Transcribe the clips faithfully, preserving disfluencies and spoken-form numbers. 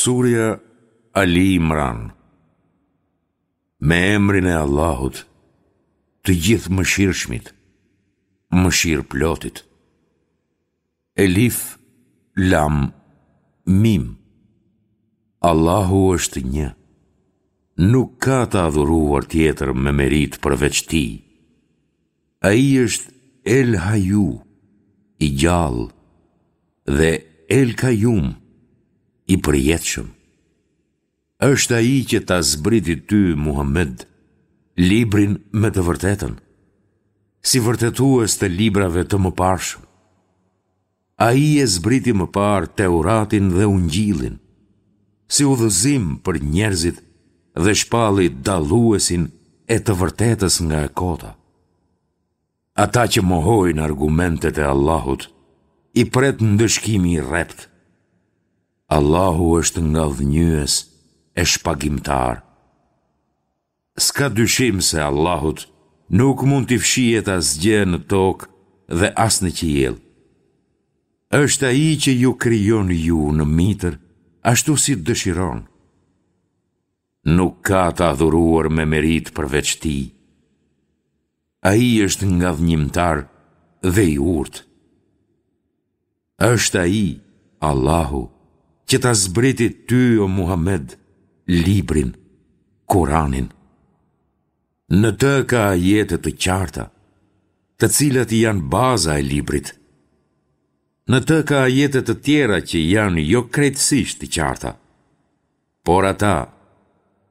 Surja Ali Imran. Me emrin e Allahut, të Gjithëmëshirshmit, Mëshirëplotit. Elif, Lam, Mim. Allahu është një. Nuk ka të adhuruar tjetër me meritë përveç Tij. Ai është El Haju, i gjallë, dhe El Kajum, i përjetshëm. Është Ai që ta zbriti ty, Muhamed, librin me të vërtetën, si vërtetues të librave të mëparshëm. Ai e zbriti më parë Teuratin dhe Ungjillin, si udhëzim për njerëzit dhe shpalli dalluesin e të vërtetës nga e kota. Ata që mohojnë argumentet e Allahut, i pret ndëshkimi i rreptë. Allahu është ngadhënjyes e shpagimtar. S'ka dyshim se Allahut nuk mund t'i fshihet asgjë në tokë dhe as në qiell. Është Ai që ju krijon ju në mitër, ashtu si dëshiron. Nuk ka të adhuruar me meritë përveç Tij. Ai është ngadhënjimtar dhe i urtë. Është Ai, Allahu, që ta zbriti ty o Muhamed, librin, Kuranin. Në të ka ajete të qarta, të cilat janë baza e librit. Në të ka ajete të tjera që janë jo krejtësisht të qarta. Por ata,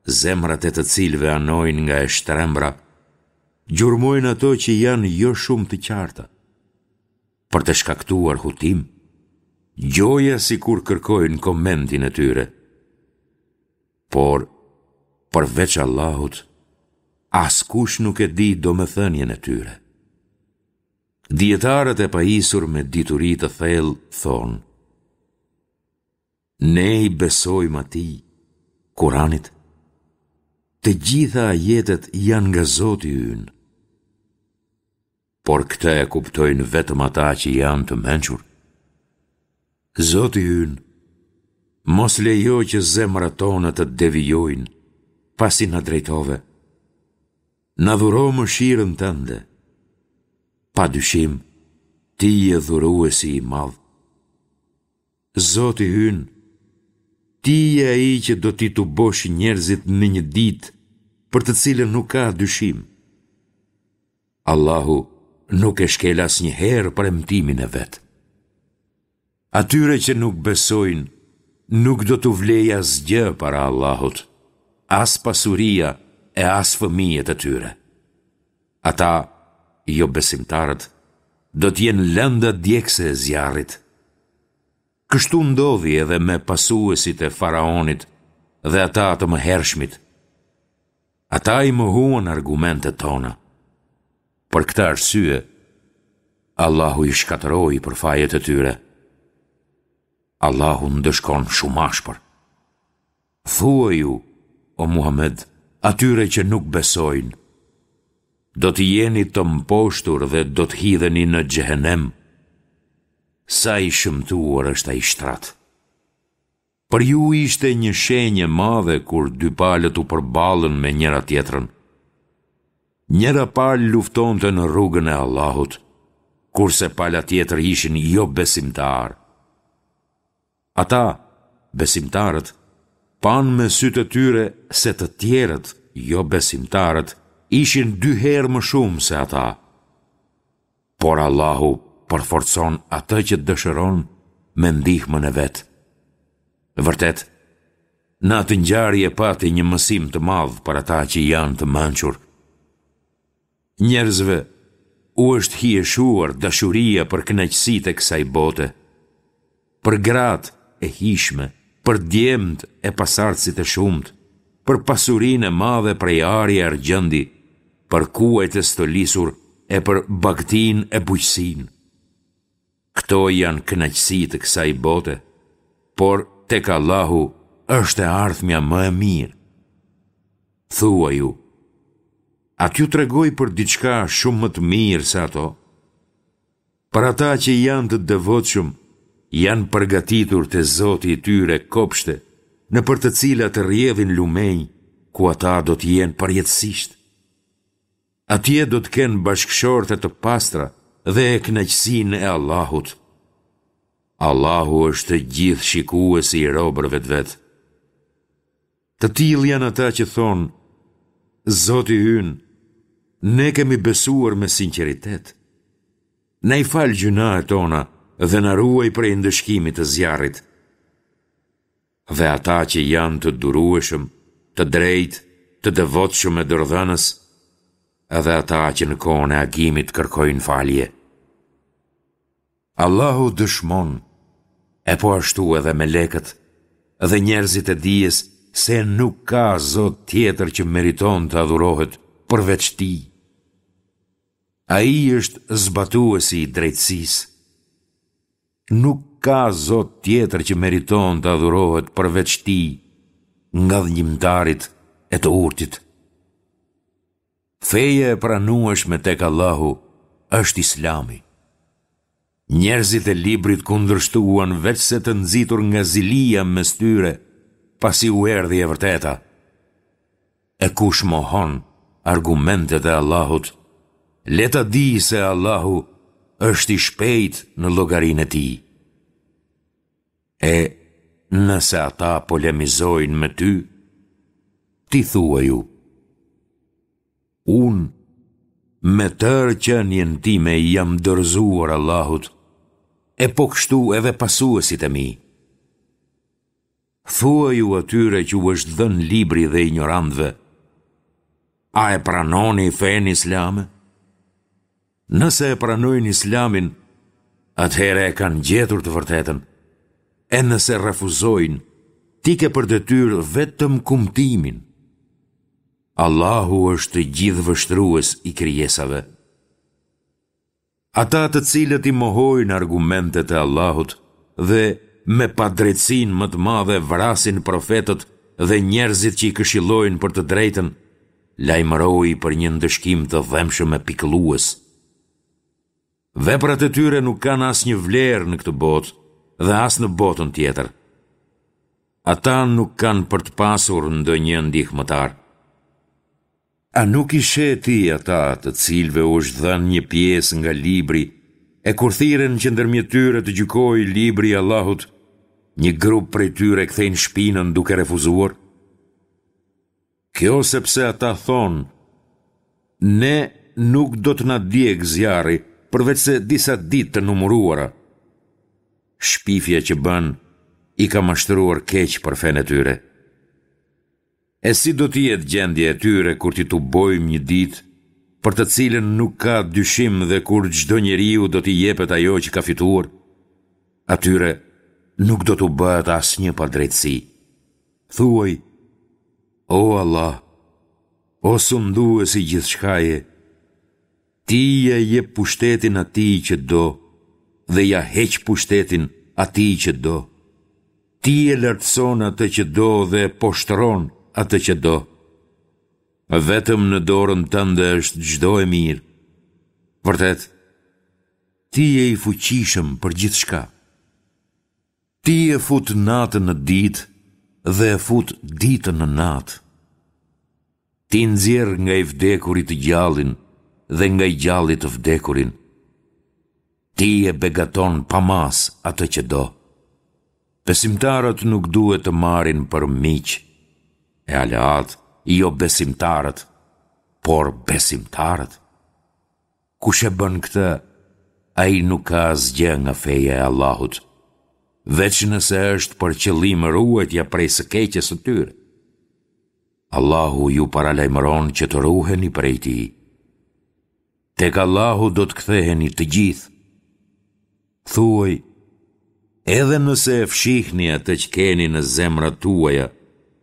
zemrat e të cilëve anojnë nga e shtrembra, gjurmojnë ato që janë jo shumë të qarta, për të shkaktuar hutim, gjoja sikur kërkojnë komentin e tyre. Por, përveç Allahut, askush nuk e di domethënien e tyre. Dijetarët e pajisur me dituri të thellë thonë, Ne i besojmë atij, Kuranit. Të gjitha ajetet janë nga Zoti ynë. Por këtë e kuptojnë vetëm ata që janë të mençur. Zoti ynë, mos lejo që zemrat tona të devijojnë, pasi na drejtove. Na dhuro mëshirën tënde. Pa dyshim, ti je dhuruesi i madh. Zoti ynë, Ti je ai që do t'i tubosh njerëzit në një ditë për të cilën nuk ka dyshim. Allahu nuk e shkel asnjëherë premtimin e vet. Atyre që nuk besojnë, nuk do t'u vlejë asgjë para Allahut, as pasuria e as fëmijët e tyre. Ata, jobesimtarët, do të jenë lënda djegëse e zjarrit. Kështu ndodhi edhe me pasuesit e Faraonit dhe ata të mëhershmit. Ata i mohuan argumentet tona. Për këtë arsye, Allahu i shkatërroi për fajet e tyre. Allahu ndëshkon shumë ashpër. Thuaju, o Muhamed, atyre që nuk besojnë, do të jeni të mposhtur dhe do të hidheni në xhehenem. Sa i shëmtuar është ai shtrat. Për ju ishte një shenjë e madhe kur dy palët u përballën me njëra-tjetrën. Njëra palë luftonte në rrugën e Allahut, kurse pala tjetër ishin jobesimtarë. Ata, besimtarët, panë me sytë e tyre se të tjerët, jobesimtarët, ishin dy herë më shumë se ata. Por Allahu përforcon atë që dëshiron me ndihmën e vet. Vërtet, në atë ngjarje pati një mësim të madh për ata që janë të mençur. Njerëzve u është hijeshuar dashuria për kënaqësitë e kësaj bote, për gratë e hijshme, për djemtë e pasardhësit e shumtë, për pasurinë e madhe prej ari e argjendi, për kuajt e stolisur e për bagëtinë e bujqësinë. Këto janë kënaqësi të kësaj bote, por tek Allahu është e ardhmja më e mirë. Thuaju, a t'ju tregoj për diçka shumë më të mirë se ato? Për ata që janë të devotshëm, janë përgatitur te Zoti i tyre kopshte, nëpër të cilat rrjedhin lumenj, ku ata do të jenë përjetësisht. Atje do të kenë bashkëshorte të pastra dhe kënaqësinë e Allahut. Allahu është gjithëshikuesi i robërve të vet. Të tillë janë ata që thonë, Zoti ynë, ne kemi besuar me sinqeritet. Na i fal gjynahet tona dhe na ruaj prej ndëshkimit të zjarrit. Dhe ata që janë të durueshëm, të drejtë, të devotshëm e dorëdhënës, edhe ata që në kohën e agimit kërkojnë falje. Allahu dëshmon, e po ashtu edhe melekët, dhe njerëzit e dijes se nuk ka zot tjetër që meriton të adhurohet përveç tij. Ai është zbatuesi i drejtësisë. Nuk ka zot tjetër që meriton të adhurohet përveç tij, ngadhënjimtarit e të urtit. Feja e pranueshme tek Allahu është Islami. Njerëzit e librit kundërshtuan veçse të nxitur nga zilia mes tyre, pasi u erdhi e vërteta. E kush mohon argumentet e Allahut, le ta dijë se Allahu është i shpejtë në llogarinë e tij. E nëse ata polemizojnë me ty, ti thuaju, unë me tërë qenien time i jam dorëzuar Allahut, e po kështu edhe pasuesit e mi. Thuaju atyre që u është dhënë libri dhe injorantëve, a e pranoni fenë islame? Nëse e pranojnë islamin, atëherë e kanë gjetur të vërtetën. E nëse refuzojnë, ti ke për detyrë vetëm kumtimin. Allahu është gjithëvështrues i krijesave. Ata të cilët i mohojnë argumentet e Allahut dhe me padrejtësinë më të madhe vrasin profetët dhe njerëzit që i këshillojnë për të drejtën, lajmëroji për një ndëshkim të dhembshëm e pikëllues. Veprat e tyre nuk kanë asnjë vlerë në këtë botë dhe as në botën tjetër. Ata nuk kanë për të pasur ndonjë ndihmëtar. A nuk i sheh ti ata të cilëve u është dhënë një pjesë nga libri e kur thirren që ndërmjet tyre të gjykojë libri i Allahut, një grup prej tyre kthejnë shpinën duke refuzuar? Kjo sepse ata thonë, ne nuk do të na djegë zjarri përveçse disa ditë të numëruara. Shpifja që bënë i ka mashtruar keq për fenë e tyre. E si do të jetë gjendja e tyre kur t'i tubojmë një ditë, për të cilën nuk ka dyshim dhe kur çdo njeriu do t'i jepet ajo që ka fituar? Atyre nuk do t'u bëhet asnjë padrejtësi. Thuaj, o Allah, o sundues i gjithçkaje, Ti ia jep pushtetin atij që do dhe ia heq pushtetin atij që do. Ti e lartëson atë që do dhe e poshtëron atë që do. Vetëm në dorën tënde është çdo e mirë. Vërtet, ti je i fuqishëm për gjithçka. Ti e fut natën në ditë dhe e fut ditën në natë. Ti nxjerr nga i vdekuri të gjallin dhe nga i gjalli të vdekurin. Ti e begaton pa masë atë që do. Besimtarët nuk duhet të marrin për miq e aleatë jobesimtarët, por besimtarët. Kush e bën këtë, ai nuk ka asgjë nga feja e Allahut, veç nëse është për qëllim ruajtja prej së keqes së tyre. Allahu ju paralajmëron që të ruheni prej tij. Tek Allahu do të ktheheni të gjithë. Thuaj, edhe nëse e fshihni atë që keni në zemrat tuaja,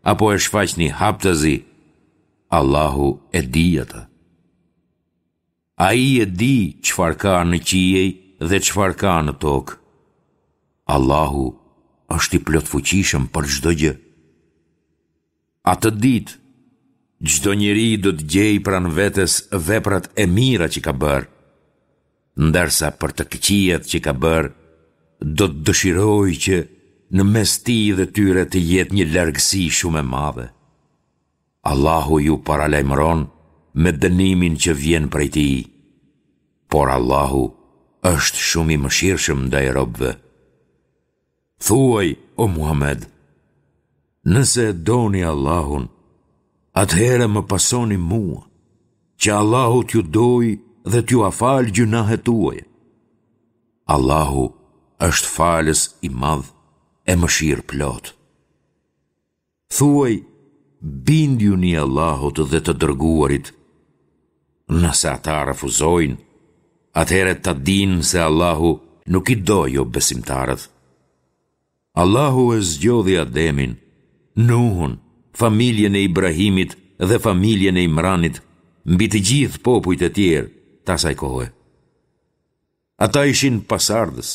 apo e shfaqni haptazi, Allahu e di atë. Ai e di çfarë ka në qiej dhe çfarë ka në tokë. Allahu është i plotfuqishëm për çdo gjë. Atë ditë, çdo njeri do të gjejë pranë vetes veprat e mira që ka bërë, ndërsa për të këqijat që ka bërë, do të dëshirojë që në mes tij dhe tyre të jetë një largësi shumë e madhe. Allahu ju paralajmëron me dënimin që vjen prej tij, por Allahu është shumë i mëshirshëm ndaj robëve. Thuaj, o Muhamed, nëse e doni Allahun, atëherë më pasoni mua, që Allahu t'ju dojë dhe t'jua falë gjynahet tuaja. Allahu është falës i madh e mëshirëplotë. Thuaj, bindjuni Allahut dhe të dërguarit. Nëse ata refuzojnë, atëherë ta dinë se Allahu nuk i do jobesimtarët. Allahu e zgjodhi Ademin, Nuhun, familjen e Ibrahimit dhe familjen e Imranit mbi të gjithë popujt e tjerë të asaj kohe. Ata ishin pasardhës,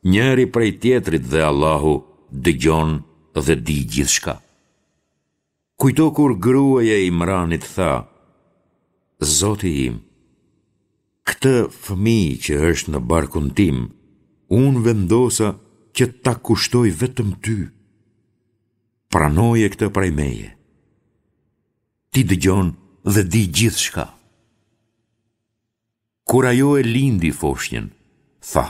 njëri prej tjetrit dhe Allahu dëgjon dhe di gjithçka. Kujto kur gruaja e Imranit tha, Zoti im, këtë fëmijë që është në barkun tim, unë vendosa që ta kushtoj vetëm ty. Pranoje këtë prej meje. Ti dëgjon dhe di gjithçka. Kur ajo e lindi foshnjën, tha,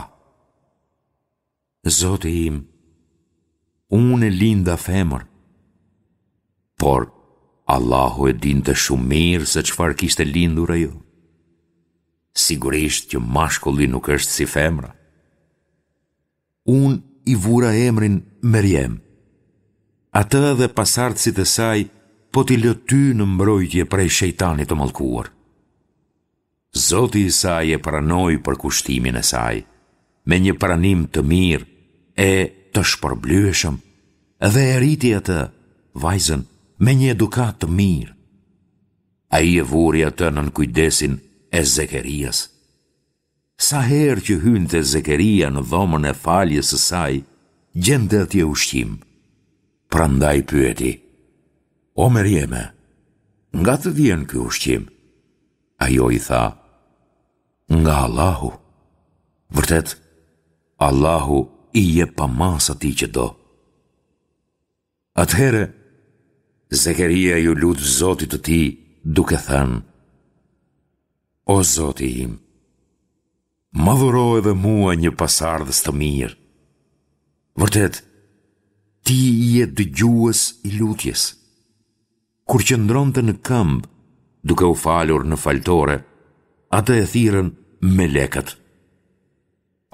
Zoti im, unë e linda femër. Por, Allahu e dinte shumë mirë se çfarë kishte lindur ajo. Sigurisht që mashkulli nuk është si femra. Unë i vura emrin Merjem. Atë dhe pasardhësit e saj po t'i lë ty në mbrojtje prej shejtanit të mallkuar. Zoti i saj e pranoi përkushtimin e saj, me një pranim të mirë e të shpërblyeshëm dhe e rriti atë, vajzën, me një edukatë të mirë. Ai e vuri atë nën kujdesin e Zekerias. Sa herë që hynte Zekeria në dhomën e faljes së saj, gjente atje ushqim. Prandaj pyeti, O Merjeme, nga të vjen ky ushqim? Ajo i tha, Nga Allahu. Vërtet, Allahu i jep pa masë atij që do. Atëherë, Zekeria iu lut Zotit të tij, duke thënë, O Zoti im, më dhuro edhe mua një pasardhës të mirë. Vërtet, ti je dëgjues i lutjes. Kur qëndronte në këmbë, duke u falur në faltore, atë e thirrën melekët.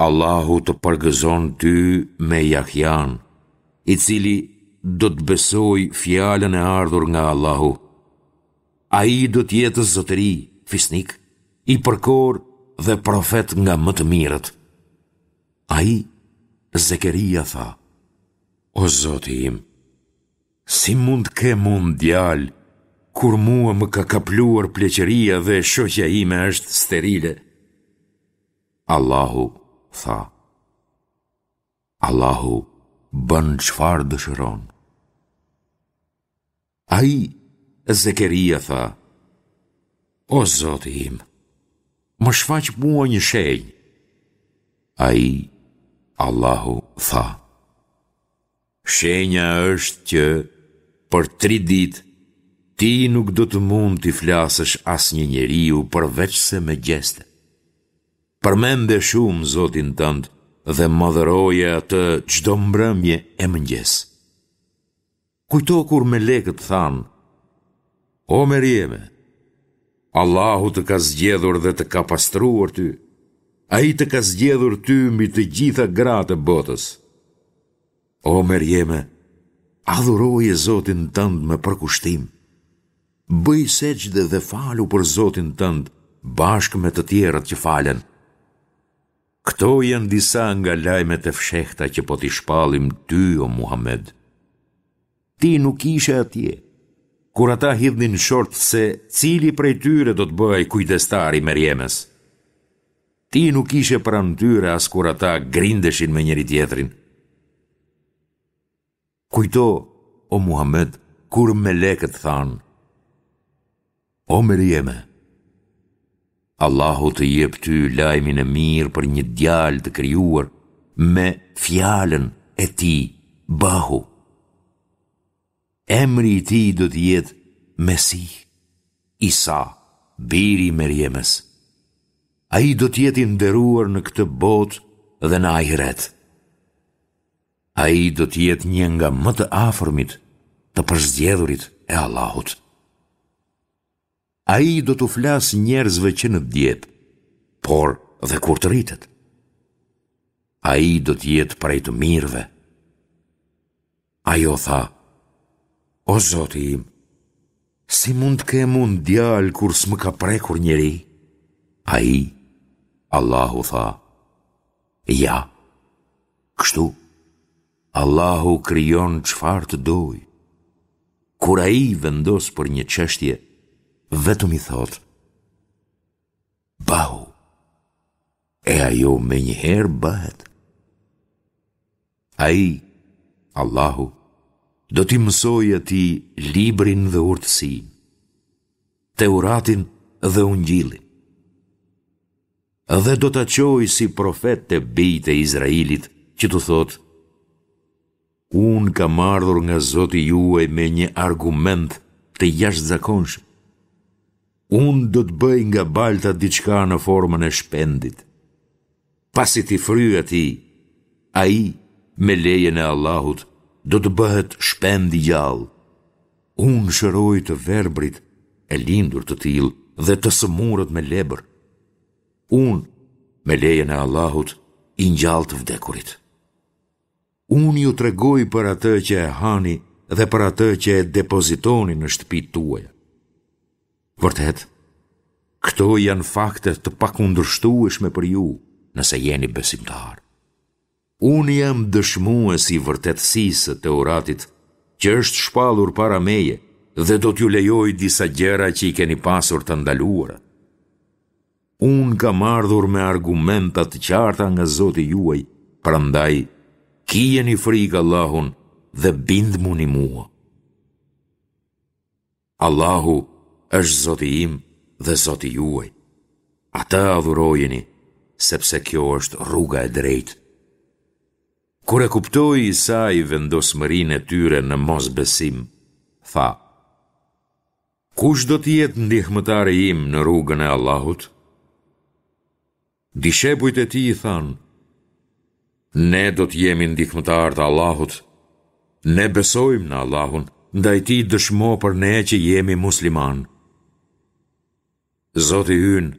Allahu të përgëzon ty me Jahjan, i cili do të besojë fjalën e ardhur nga Allahu. Ai do të jetë zotëri, fisnik, i përkorë dhe profet nga më të mirët. Ai, Zekeria tha, O Zoti im, si mund të kem unë djalë, kur mua më ka kapluar pleqëria dhe shoqja ime është sterile? Allahu tha, Allahu bën çfarë dëshiron. Ai, Zekeria tha, O Zoti im, më shfaq mua një shenjë. Ai, Allahu tha, Shenja është që për tri ditë ti nuk do të mund t'i flasësh asnjë njeriu përveçse me gjeste. Përmende shumë Zotin tënd dhe madhëroje atë çdo mbrëmje e mëngjes. Kujto kur melekët thanë, O Merjeme, Allahu të ka zgjedhur dhe të ka pastruar ty. Ai të ka zgjedhur ty mbi të gjitha gratë e botës. O Merjeme, adhuroje Zotin tënd me përkushtim. Bëj sexhde dhe falu për Zotin tënd bashkë me të tjerët që falen. Këto janë disa nga lajmet e fshehta që po t'i shpallim ty, o Muhamed. Ti nuk ishe atje, kur ata hidhnin short se cili prej tyre do të bëhej kujdestar i Merjemes. Ti nuk ishe pranë tyre as kur ata grindeshin me njëri-tjetrin. Kujto, o Muhamed, kur melekët thanë, O Merjeme, Allahu të jep ty lajmin e mirë për një djalë të krijuar me fjalën e tij, Bëhu. Emri i tij do të jetë Mesih, Isa, biri i Merjemes. Ai do të jetë i nderuar në këtë botë dhe në ahiret. Ai do të jetë një nga më të afërmit, të përzgjedhurit e Allahut. Ai do t'u flasë njerëzve që në djep, por dhe kur të rritet. Ai do të jetë prej të mirëve. Ajo tha, O Zoti im, si mund të kem unë djalë kur s'më ka prekur njeri? Ai, Allahu tha, Ja, kështu, Allahu krijon çfarë të dojë. Kur ai vendos për një çështje, vetëm i thotë, Bëhu, e ajo menjëherë bëhet. Ai, Allahu, do t'i mësojë atij librin dhe urtësinë, Teuratin dhe Ungjillin. Dhe do ta çojë si profet te bijtë e Izraelit që t'u thotë, Unë kam ardhur nga Zoti juaj me një argument të jashtëzakonshëm. Unë do të bëj nga balta diçka në formën e shpendit. Pasi t'i fryj atij, ai, me lejen e Allahut, do të bëhet shpend i gjallë. Unë shëroj të verbrit e lindur të tillë dhe të sëmurët me lebër. Unë, me lejen e Allahut, i ngjall të vdekurit. Unë ju tregoj për atë që e hani dhe për atë që e depozitoni në shtëpitë tuaja. Vërtet, këto janë fakte të pakundërshtueshme për ju, nëse jeni besimtarë. Unë jam dëshmues i vërtetësisë së Teuratit, që është shpallur para meje dhe do t'ju lejoj disa gjëra që i keni pasur të ndaluara. Unë kam ardhur me argumenta të qarta nga Zoti juaj, prandaj kijeni frikë Allahun dhe bindmuni mua. Allahu është Zoti im dhe Zoti juaj. Atë adhurojeni, sepse kjo është rruga e drejtë. Kur e kuptoi Isai vendosmërinë e tyre në mosbesim, tha: Kush do të jetë ndihmëtari im në rrugën e Allahut? Dishepujt e tij i thanë, Ne do të jemi ndihmëtarë të Allahut. Ne besojmë në Allahun, ndaj ti dëshmo për ne që jemi muslimanë. Zoti ynë,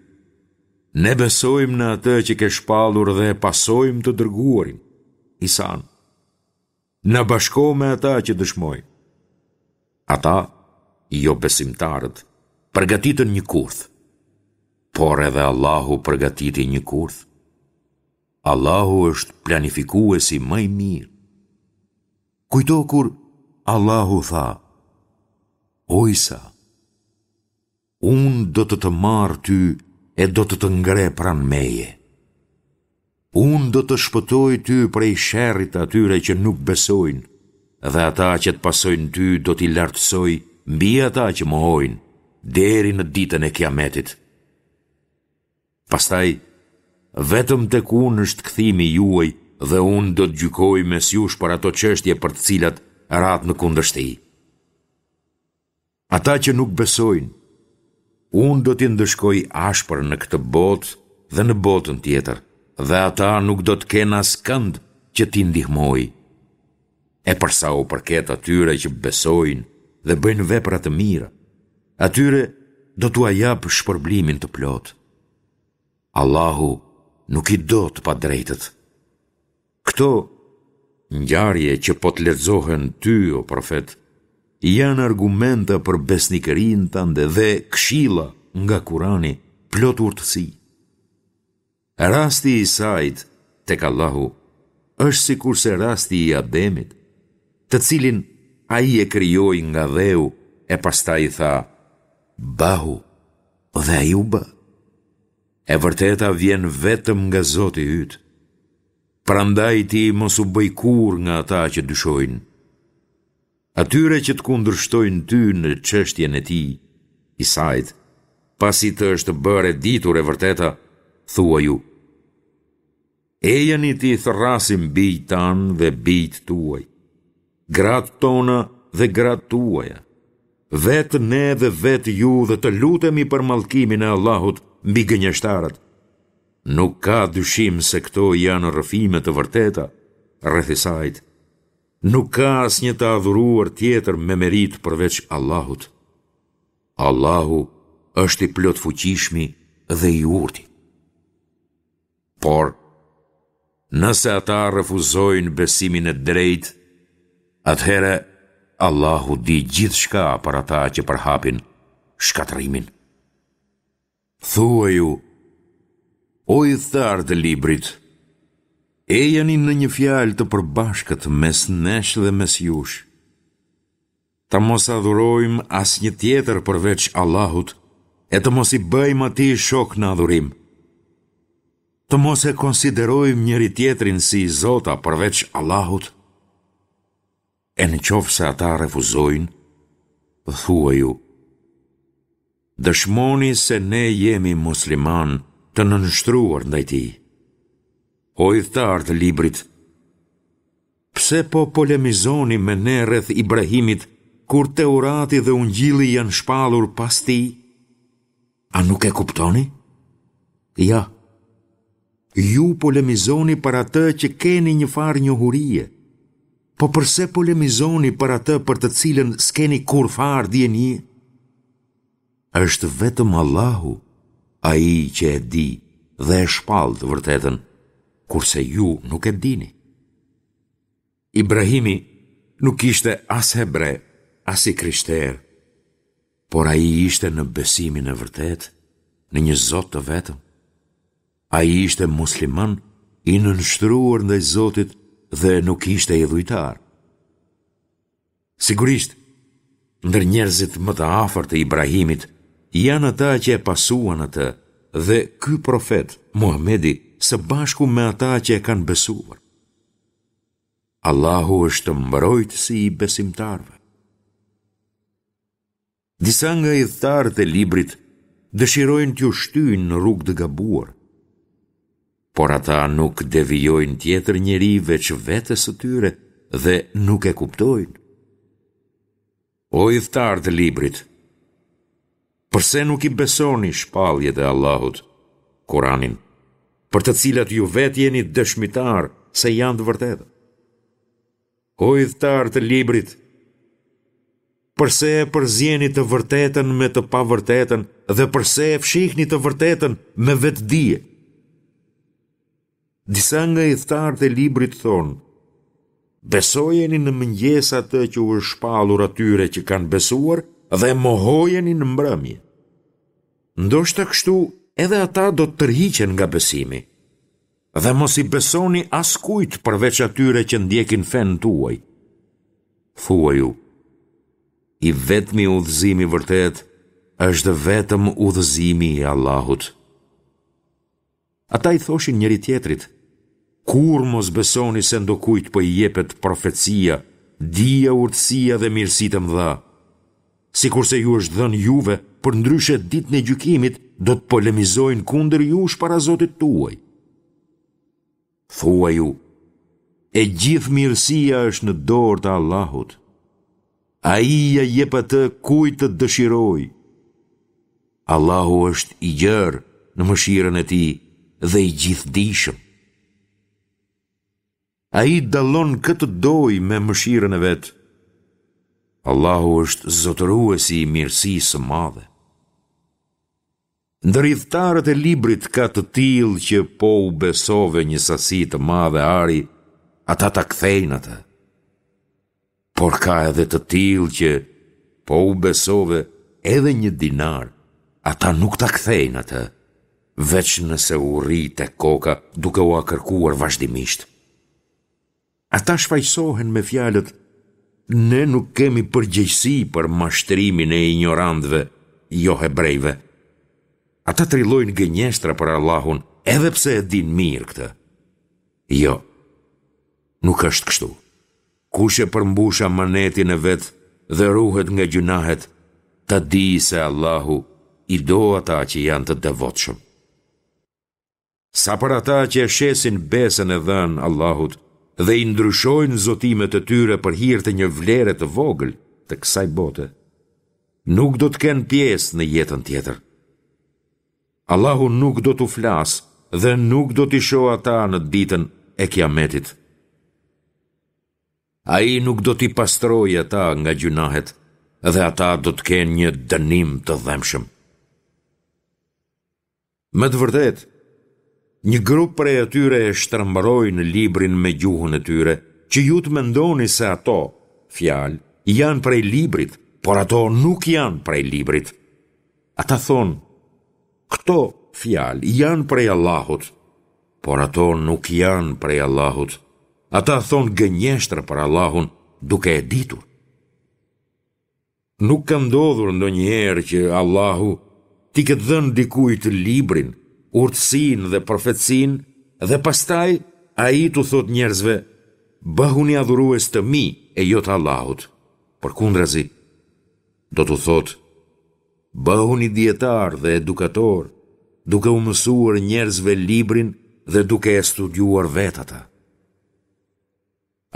ne besojmë në atë që ke shpallur dhe pasojmë të dërguarin, Isanë. Na bashko me ata që dëshmojnë. Ata, jobesimtarët, përgatitën një kurth. Por edhe Allahu përgatiti një kurth. Allahu është planifikuesi më i mirë. Kujto kur Allahu tha, O Isa, Unë do të të marr ty e do të të ngre pranë meje. Unë do të shpëtoj ty prej sherrit të atyre që nuk besojnë, dhe ata që të pasojnë ty do t'i lartësoj mbi ata që mohojnë, deri në ditën e Kiametit. Pastaj, vetëm tek unë është kthimi juaj dhe unë do të gjykoj mes jush për ato çështje për të cilat ratë në kundërshti. Ata që nuk besojnë, unë do t'i ndëshkoj ashpër në këtë botë dhe në botën tjetër, dhe ata nuk do të kenë askënd që t'i ndihmojë. E për sa u përket atyre që besojnë dhe bëjnë vepra të mira, atyre do t'ua jap shpërblimin të plotë. Allahu nuk i do të padrejtët. Këto ngjarje që po të lexohen ty, o profet, janë argumenta për besnikërinë tënde dhe këshilla nga Kurani plot urtësi. Rasti i Isait tek Allahu është sikurse rasti i Ademit, të cilin ai e krijoi nga dheu e pastaj i tha, Bëhu, dhe ai u bë. E vërteta vjen vetëm nga Zoti yt. Prandaj ti mos u bëj kurrë nga ata që dyshojnë. Atyre që të kundërshtojnë ty në çështjen e tij, Isait, pasi të është bërë e ditur e vërteta, thuaju: Ejani t'i thërrasim bijtë tanë dhe bijtë tuaj, gratë tona dhe gratë tuaja, vetë ne dhe vetë ju dhe të lutemi për mallkimin e Allahut mbi gënjeshtarët. Nuk ka dyshim se këto janë rrëfime të vërteta rreth Isait. Nuk ka asnjë të adhuruar tjetër me meritë përveç Allahut. Allahu është i plotfuqishmi dhe i urti. Por, nëse ata refuzojnë besimin e drejtë, atëherë Allahu di gjithçka për ata që përhapin shkatërrimin. Thuaju, o ithtarë të librit, ejani në një fjalë të përbashkët mes nesh dhe mes jush. Të mos adhurojmë asnjë tjetër përveç Allahut e të mos i bëjmë atij shok në adhurim. Të mos e konsiderojmë njëri-tjetrin si zota përveç Allahut. E në qoftë se ata refuzojnë, thuaju, dëshmoni se ne jemi muslimanë të nënshtruar ndaj tij. O ithtarë të librit, pse po polemizoni me ne rreth Ibrahimit, kur Teurati dhe Ungjilli janë shpallur pas tij? A nuk e kuptoni? Ja, ju polemizoni për atë që keni një farë njohurie, po përse polemizoni për atë për të cilën s'keni kurrfarë dijenie? Është vetëm Allahu, ai që e di dhe e shpall të vërtetën, kurse ju nuk e dini. Ibrahimi nuk ishte as hebre, as i krishterë, por ai ishte në besimin e vërtetë, në një Zot të vetëm. Ai ishte musliman i nënshtruar ndaj Zotit dhe nuk ishte idhujtar. Sigurisht, ndër njerëzit më të afërt të Ibrahimit janë ata që e pasuan atë dhe ky profet, Muhamedi, së bashku me ata që e kanë besuar. Allahu është mbrojtësi i besimtarëve. Disa nga ithtarët e librit dëshirojnë t'ju shtyjnë në rrugë të gabuar, por ata nuk devijojnë tjetër njeri veç vetes së tyre dhe nuk e kuptojnë. O ithtarë të librit, përse nuk i besoni shpalljet e Allahut, Kuranin, për të cilat ju vetë jeni dëshmitarë se janë të vërteta? O ithtarë të librit, përse e përzieni të vërtetën me të pavërtetën dhe përse e fshihni të vërtetën me vetëdije? Disa nga ithtarët e librit thonë, besojeni në mëngjes atë që u është shpallur atyre që kanë besuar dhe mohojeni në mbrëmje. Ndoshta kështu edhe ata do të tërhiqen nga besimi. Dhe mos i besoni askujt përveç atyre që ndjekin fenë tuaj. Thuaju, i vetmi udhëzim i vërtetë është vetëm udhëzimi i Allahut. Ata i thoshin njëri-tjetrit, kurrë mos besoni se ndokujt po i jepet profecia, dija, urtësia dhe mirësitë e mëdha. Sikurse ju është dhënë juve, përndryshe ditën e gjykimit do të polemizojnë kundër jush para Zotit tuaj. Thuaju, e gjithë mirësia është në dorë të Allahut. Ai ia jep atë kujt të dëshirojë. Allahu është i gjerë në mëshirën e tij dhe i gjithëdijshëm. Ai dallon kë të dojë me mëshirën e vet. Allahu është zotëruesi i mirësisë së madhe. Ndër ithtarët e librit ka të tillë që po u besove një sasi të madhe ari, ata ta kthejnë atë. Por ka edhe të tillë që po u besove edhe një dinar, ata nuk ta kthejnë atë, veç nëse u rri te koka duke ua kërkuar vazhdimisht. Ata shfajësohen me fjalët, ne nuk kemi përgjegjësi për mashtrimin e injorantëve, johebrejve. Ata trillojnë gënjeshtra për Allahun, edhe pse e dinë mirë këtë. Jo, nuk është kështu. Kush e përmbush amanetin e vet dhe ruhet nga gjynahet, ta dijë se Allahu i do ata që janë të devotshëm. Sa për ata që e shesin besën e dhënë Allahut dhe i ndryshojnë zotimet e tyre për hir të një vlere të vogël të kësaj bote, nuk do të kenë pjesë në jetën tjetër. Allahu nuk do t'u flasë dhe nuk do t'i shohë ata në ditën e Kiametit. Ai nuk do t'i pastrojë ata nga gjynahet dhe ata do të kenë një dënim të dhembshëm. Me të vërtetë, një grup prej atyre e shtrembërojnë librin me gjuhën e tyre, që ju të mendoni se ato, fjalë, janë prej librit, por ato nuk janë prej librit. Ata thonë, këto, fjalë, janë prej Allahut, por ato nuk janë prej Allahut. Ata thonë gënjeshtra për Allahun duke e ditur. Nuk ka ndodhur ndonjëherë që Allahu t'i ketë dhënë dikujt librin, urtësinë dhe profetësinë dhe pastaj ai t'u thotë njerëzve, bëhuni adhurues të mi e jo të Allahut. Përkundrazi, do t'u thotë, bëhuni dijetarë dhe edukatorë, duke u mësuar njerëzve librin dhe duke e studiuar vetë atë.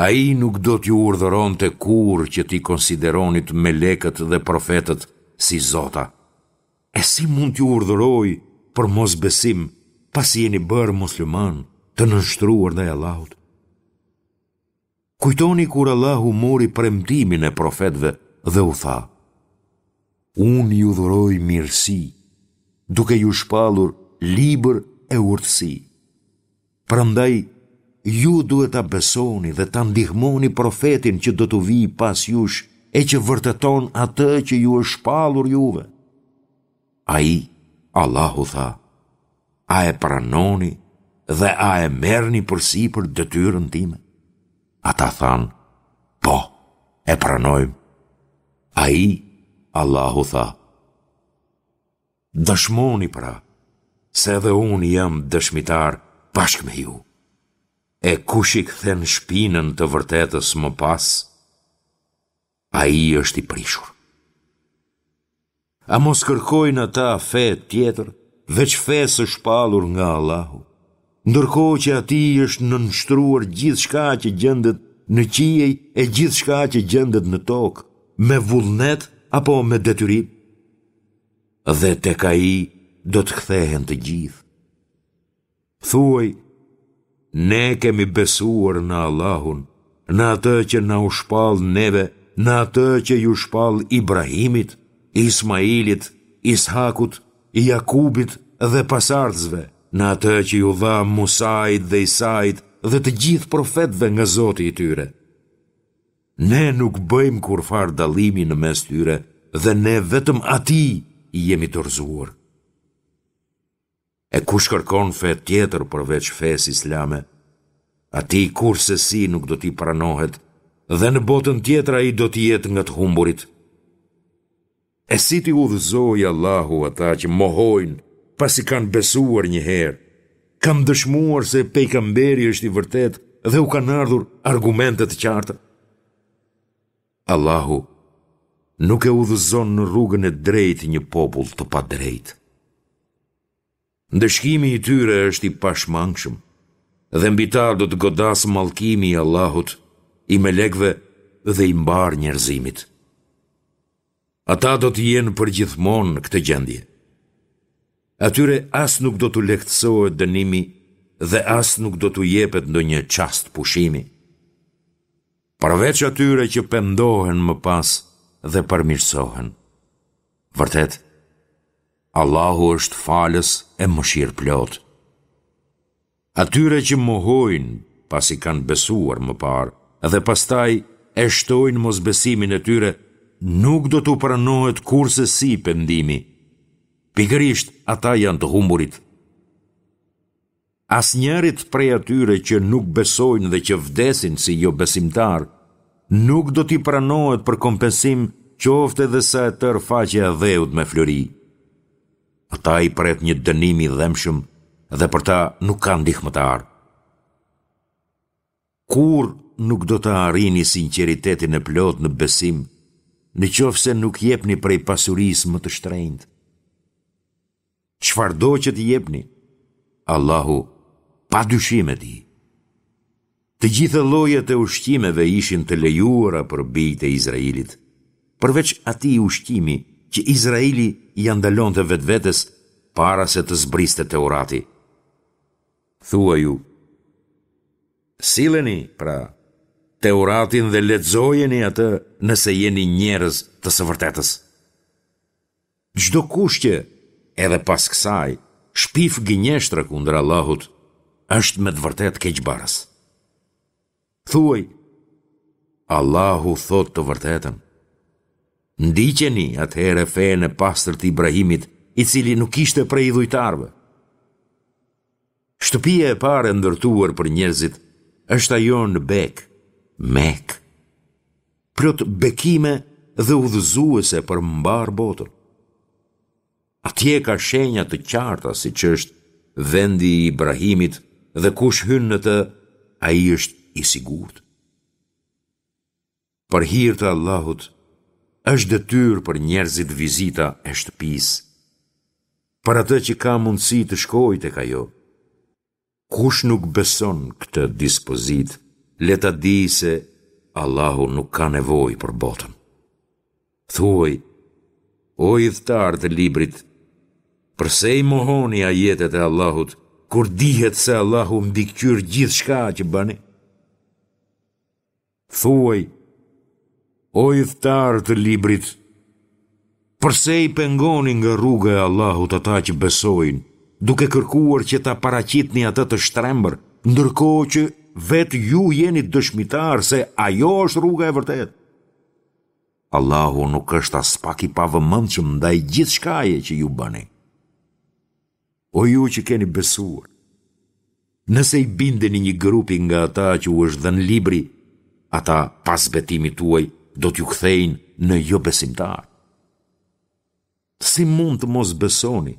Ai nuk do t'ju urdhëronte kurrë që t'i konsideronit melekët dhe profetët si zota. E si mund t'ju urdhërojë për mosbesim pasi jeni bërë muslimanë të nënshtruar ndaj Allahut? Kujtoni kur Allahu mori premtimin e profetëve dhe u tha: Unë ju dhuroj mirësi, duke ju shpallur libër e urtësi. Prandaj, ju duhet ta besoni dhe ta ndihmoni profetin që do t'u vijë pas jush e që vërteton atë që ju është shpallur juve. Ai, Allahu tha, a e pranoni dhe a e merrni përsipër detyrën time? Ata thanë, po, e pranojmë. Ai, Allahu tha, Dëshmoni pra, se edhe unë jam dëshmitar bashkë me ju. E kush i kthen shpinën të vërtetës më pas, ai është i prishur. A mos kërkojnë ata fe tjetër, veç fesë së shpallur nga Allahu, ndërkohë që atij i është nënshtruar gjithçka që gjendet në qiej e gjithçka që gjendet në tokë, me vullnet apo me detyrim? Dhe tek ai do të kthehen të gjithë. Thuaj, ne kemi besuar në Allahun, në atë që na u shpall neve, në atë që iu shpall Ibrahimit, Ismailit, Ishakut, Jakubit dhe pasardhësve, në atë që iu dha Musait dhe Isait dhe të gjithë profetëve nga Zoti i tyre. Ne nuk bëjmë kurrfarë dallimi në mes tyre dhe ne vetëm atij i jemi dorëzuar. E kush kërkon fe tjetër përveç fesë islame, atij kurrsesi nuk do t'i pranohet dhe në botën tjetër ai do të jetë nga të humburit. E si t'i udhëzojë Allahu ata që mohojnë pasi kanë besuar një herë, kanë dëshmuar se pejgamberi është i vërtetë dhe u kanë ardhur argumente të qarta? Allahu nuk e udhëzon në rrugën e drejtë një popull të padrejtë. Ndëshkimi i tyre është i pashmangshëm dhe mbi ta do të godasë mallkimi i Allahut, i melekëve dhe i mbarë njerëzimit. Ata do të jenë përgjithmonë në këtë gjendje. Atyre as nuk do t'u lehtësohet dënimi dhe as nuk do t'u jepet ndonjë çast pushimi. Përveç atyre që pendohen më pas dhe përmirësohen. Vërtet, Allahu është falës e mëshirëplotë. Atyre që mohojnë pasi kanë besuar më parë dhe pastaj e shtojnë mosbesimin e tyre, nuk do t'u pranohet kurrsesi pendimi. Pikërisht ata janë të humburit. Asnjërit prej atyre që nuk besojnë dhe që vdesin si jobesimtarë, nuk do t'i pranohet për kompensim qoftë edhe sa e tërë faqja e dheut me flori. Ata i pret një dënim i dhembshëm dhe për ta nuk ka ndihmëtar. Kurrë nuk do të arrini sinqeritetin e plotë në besim, në qoftë se nuk jepni prej pasurisë më të shtrenjtë. Çfarëdo që të jepni, Allahu pa dyshim e di. Të gjitha llojet e ushqimeve ishin të lejuara për bijtë e Izraelit, përveç atij ushqimi që Izraeli ia ndalonte vetvetes para se të zbriste Teurati. Thuaju, silleni, pra, Teuratin dhe lexojeni atë nëse jeni njerëz të së vërtetës. Çdokush që, edhe pas kësaj, shpif gënjeshtra kundër Allahut, është me të vërtetë keqbërës. Thuaj, Allahu thotë të vërtetën. Ndiqeni atëherë fenë e pastër të Ibrahimit, i cili nuk ishte prej idhujtarëve. Shtëpia e parë e ndërtuar për njerëzit është ajo në Bekë, Mekë, plot bekime dhe udhëzuese për mbarë botën. Atje ka shenja të qarta siç është vendi i Ibrahimit dhe kush hyn në të, ai është i sigurt. Për hir të Allahut, është detyrë për njerëzit vizita e shtëpisë. Për atë që ka mundësi të shkojë tek ajo. Kush nuk beson këtë dispozitë, le ta dijë se Allahu nuk ka nevojë për botën. Thuaj, o ithtarë të librit, përse i mohoni ajetet e Allahut, kur dihet se Allahu mbikëqyr gjithçka që bëni? Thuaj, o ithtarë të librit, përse i pengoni nga rruga e Allahut ata që besojnë, duke kërkuar që ta paraqitni atë të shtrembër, ndërkohë që vetë ju jeni dëshmitarë se ajo është rruga e vërtetë. Allahu nuk është aspak i pavëmendshëm ndaj gjithçkaje që ju bëni. O ju që keni besuar, nëse i bindeni një grupi nga ata që u është dhënë libri, ata pas betimit tuaj do t'ju kthejnë në jobesimtarë. Si mund të mos besoni,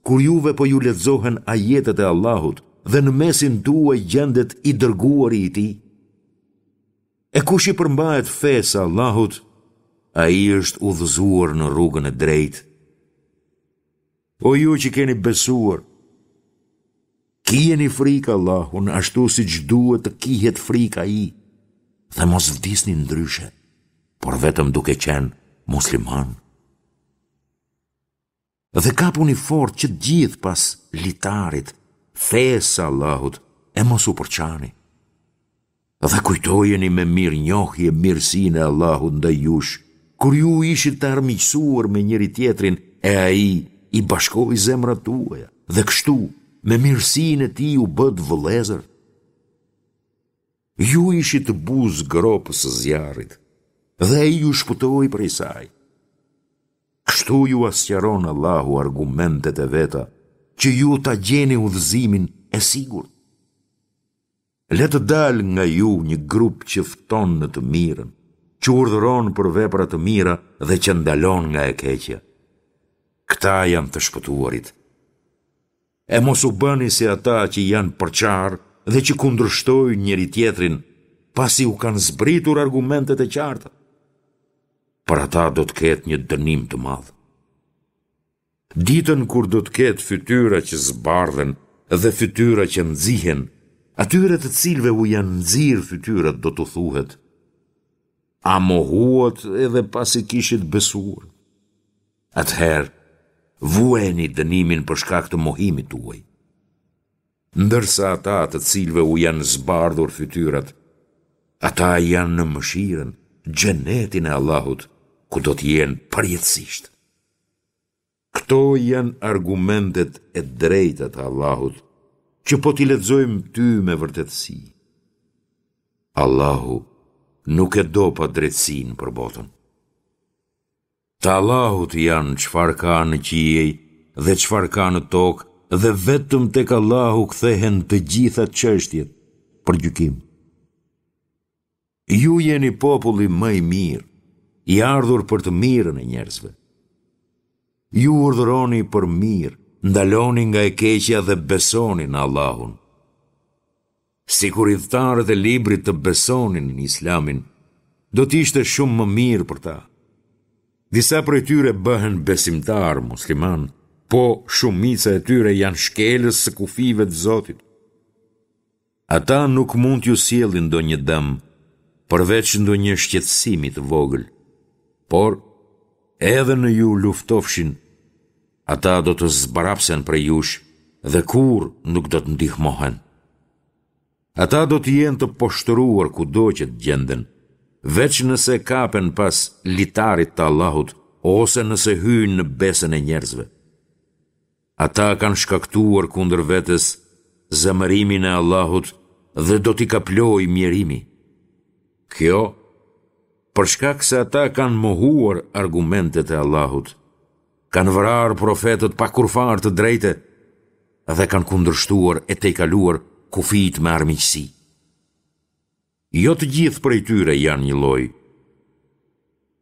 kur juve po ju lexohen ajetet e Allahut dhe në mesin tuaj gjendet i dërguari i tij? E kush i përmbahet fesë së Allahut, ai është udhëzuar në rrugën e drejtë. O ju që keni besuar, kijeni frikë Allahun ashtu siç duhet të kihet frikë ai dhe mos vdisni ndryshe, por vetëm duke qenë muslimanë. Dhe kapuni fort që të gjithë pas litarit, fesë së Allahut, e mos u përçani. Dhe kujtojeni me mirënjohje mirësinë e Allahut ndaj jush, kur ju ishit të armiqësuar me njëri-tjetrin e ai i bashkoi zemrat tuaja, dhe kështu me mirësinë e tij u bëtë vëllezër. Ju ishit buzë gropës së zjarrit, dhe ai ju shpëtoi prej saj. Kështu jua sqaron Allahu argumentet e veta, që ju ta gjeni udhëzimin e sigurt. Le të dalë nga ju një grup që fton në të mirën, që urdhëron për vepra të mira dhe që ndalon nga e keqja. Këta janë të shpëtuarit. E mos u bëni si ata që janë përçarë dhe që kundërshtojnë njëri-tjetrin, pasi u kanë zbritur argumentet e qarta. Për ata do të ketë një dënim të madh. Ditën kur do të ketë fytyra që zbardhen dhe fytyra që nxihen, atyre të cilëve u janë nxirë fytyrat do t'u thuhet: A mohuat edhe pasi kishit besuar? Atëherë, vuajeni dënimin për shkak të mohimit tuaj. Ndërsa ata të cilëve u janë zbardhur fytyrat, ata janë në mëshirën, xhenetin e Allahut, ku do të jenë përjetësisht. Këto janë argumentet e drejta të Allahut, që po t'i lexojmë ty me vërtetësi. Allahu nuk e do padrejtësinë për botën. Të Allahut janë çfarë ka në qiej dhe çfarë ka në tokë dhe vetëm tek Allahu kthehen të gjitha çështjet për gjykim. Ju jeni populli më i mirë, i ardhur për të mirën e njerëzve. Ju urdhëroni për mirë, ndaloni nga e keqja dhe besoni në Allahun. Sikur ithtarët e librit të besonin në Islamin, do të ishte shumë më mirë për ta. Disa prej tyre bëhen besimtarë muslimanë, po shumica e tyre janë shkelës së kufijve të Zotit. Ata nuk mund t'ju sjellin ndonjë dëm, përveç ndonjë shqetësimi të vogël. Por, edhe në ju luftofshin, ata do të zbrapsen prej jush dhe kurrë nuk do të ndihmohen. Ata do të jenë të poshtëruar kudo që të gjenden, veç nëse kapen pas litarit të Allahut ose nëse hyjnë në besën e njerëzve. Ata kanë shkaktuar kundër vetes zemërimin e Allahut dhe do t'i kaplojë mjerimi. Kjo, për shkak se ata kanë mohuar argumentet e Allahut, kanë vrarë profetët pa kurrfarë të drejte dhe kanë kundërshtuar e tejkaluar kufijtë me armiqësi. Jo të gjithë prej tyre janë njëlloj.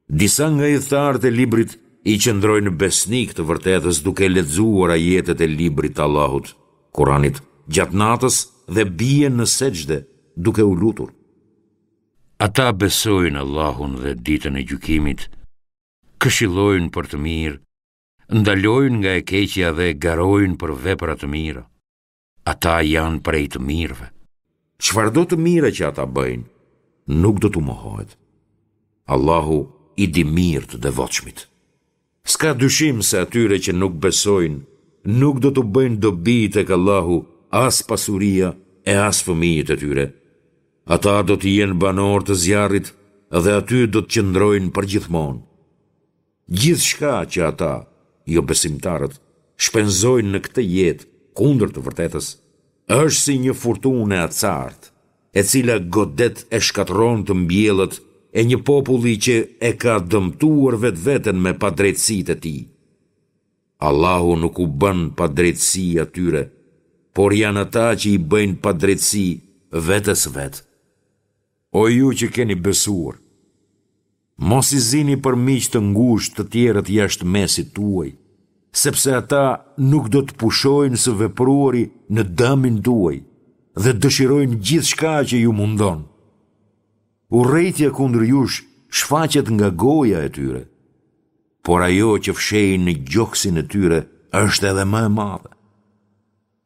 Disa nga ithtarët e librit i qëndrojnë besnikë të vërtetës duke lexuar ajetet e librit të Allahut, Kuranit, gjatë natës dhe bien në sexhde duke u lutur. Ata besojnë Allahun dhe ditën e gjykimit, këshillojnë për të mirë, ndalojnë nga e keqja dhe garojnë për vepra të mira. Ata janë prej të mirëve. Çfarëdo të mire që ata bëjnë, nuk do t'u mohohet. Allahu i di mirë të devotshmit. S'ka dyshim se atyre që nuk besojnë, nuk do t'u bëjnë dobi tek Allahu as pasuria e as fëmijët e tyre. Ata do të jenë banorë të zjarrit dhe aty do të qëndrojnë përgjithmonë. Gjithçka që ata, jobesimtarët, shpenzojnë në këtë jetë kundër të vërtetës, është si një furtunë e acartë, e cila godet e shkatërron të mbjellët e një populli që e ka dëmtuar vetveten me padrejtësitë e tij. Allahu nuk u bën padrejtësi atyre, por janë ata që i bëjnë padrejtësi vetes së vet. O ju që keni besuar, mos i zini për miq të ngushtë të tjerët jashtë mesit tuaj, sepse ata nuk do të pushojnë së vepruari në dëmin tuaj dhe dëshirojnë gjithçka që ju mundon. Urrejtja kundër jush shfaqet nga goja e tyre, por ajo që fshehin në gjoksin e tyre është edhe më e madhe.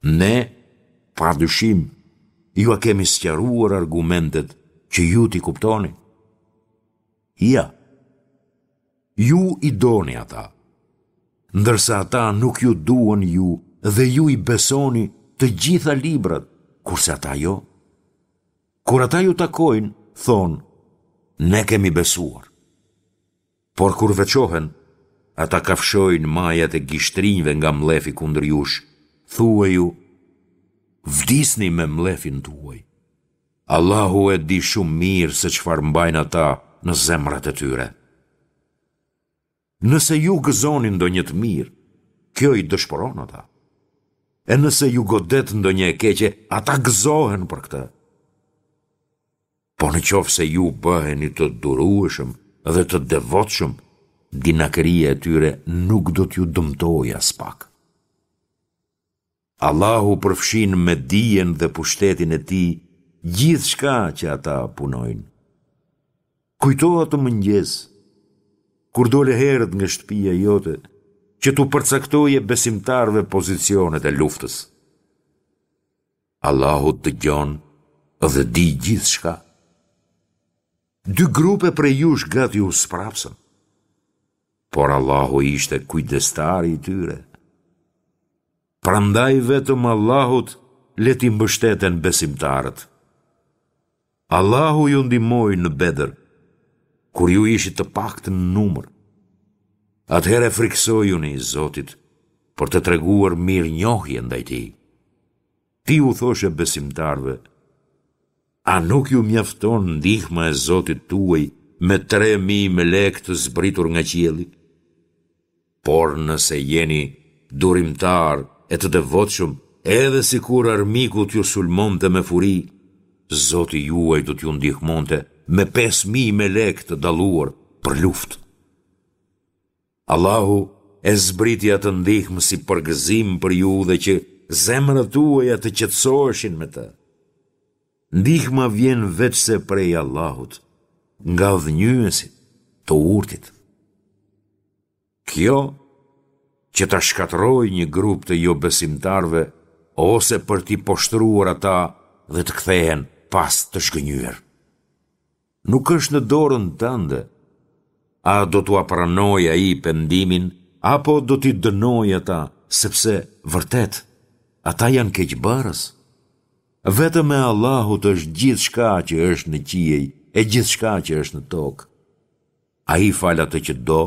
Ne, pa dyshim, jua kemi sqaruar argumentet që ju t'i kuptoni. Ja, ju i doni ata, ndërsa ata nuk ju duan ju dhe ju i besoni të gjitha librat, kurse ata jo. Kur ata ju takojnë, thonë, ne kemi besuar. Por kur veçohen, ata kafshojnë majat e gishtrinjve nga mllefi kundër jush. Thuaju, vdisni me mllefin tuaj. Allahu e di shumë mirë se çfarë mbajnë ata në zemrat e tyre. Nëse ju gëzoni ndonjë të mirë, kjo i dëshpëron ata. E nëse ju godet ndonjë e keqe, ata gëzohen për këtë. Po në qoftë se ju bëheni të durueshëm dhe të devotshëm, dinakëria e tyre nuk do t'ju dëmtojë aspak. Allahu përfshin me dijen dhe pushtetin e tij gjithçka që ata punojnë. Kujto atë mëngjes, kur dole herët nga shtëpia jote, që t'u përcaktoje besimtarëve pozicionet e luftës. Allahu dëgjon dhe di gjithçka. Dy grupe prej jush gati u sprapsën, por Allahu ishte kujdestari i tyre. Prandaj vetëm Allahut le t'i mbështeten besimtarët. Allahu ju ndihmoi në Bedër, kur ju ishit të paktë në numër. Atëherë frikësojuni Zotit për të treguar mirënjohje ndaj tij. Ti u thoshe besimtarëve, a nuk ju mjafton ndihma e Zotit tuaj me tre mijë melekë të zbritur nga qielli? Por nëse jeni durimtarë e të devotshëm, edhe sikur armiku t'ju sulmonte me furi, Zoti juaj do t'ju ndihmonte me pesë mijë melekë të dalluar për luftë. Allahu e zbriti atë ndihmë si përgëzim për ju dhe që zemrat tuaja të qetësoheshin me të. Ndihma vjen veçse prej Allahut, ngadhënjyesit, të urtit. Kjo, që ta shkatërrojë një grup të jobesimtarëve ose për t'i poshtëruar ata dhe të kthehen pas të zhgënjyer. Nuk është në dorën tënde. A do t'ua pranojë ai pendimin apo do t'i dënojë ata, sepse vërtet ata janë keqbërës? Vetëm e Allahut është gjithçka që është në qiej e gjithçka që është në tokë. Ai fal atë që do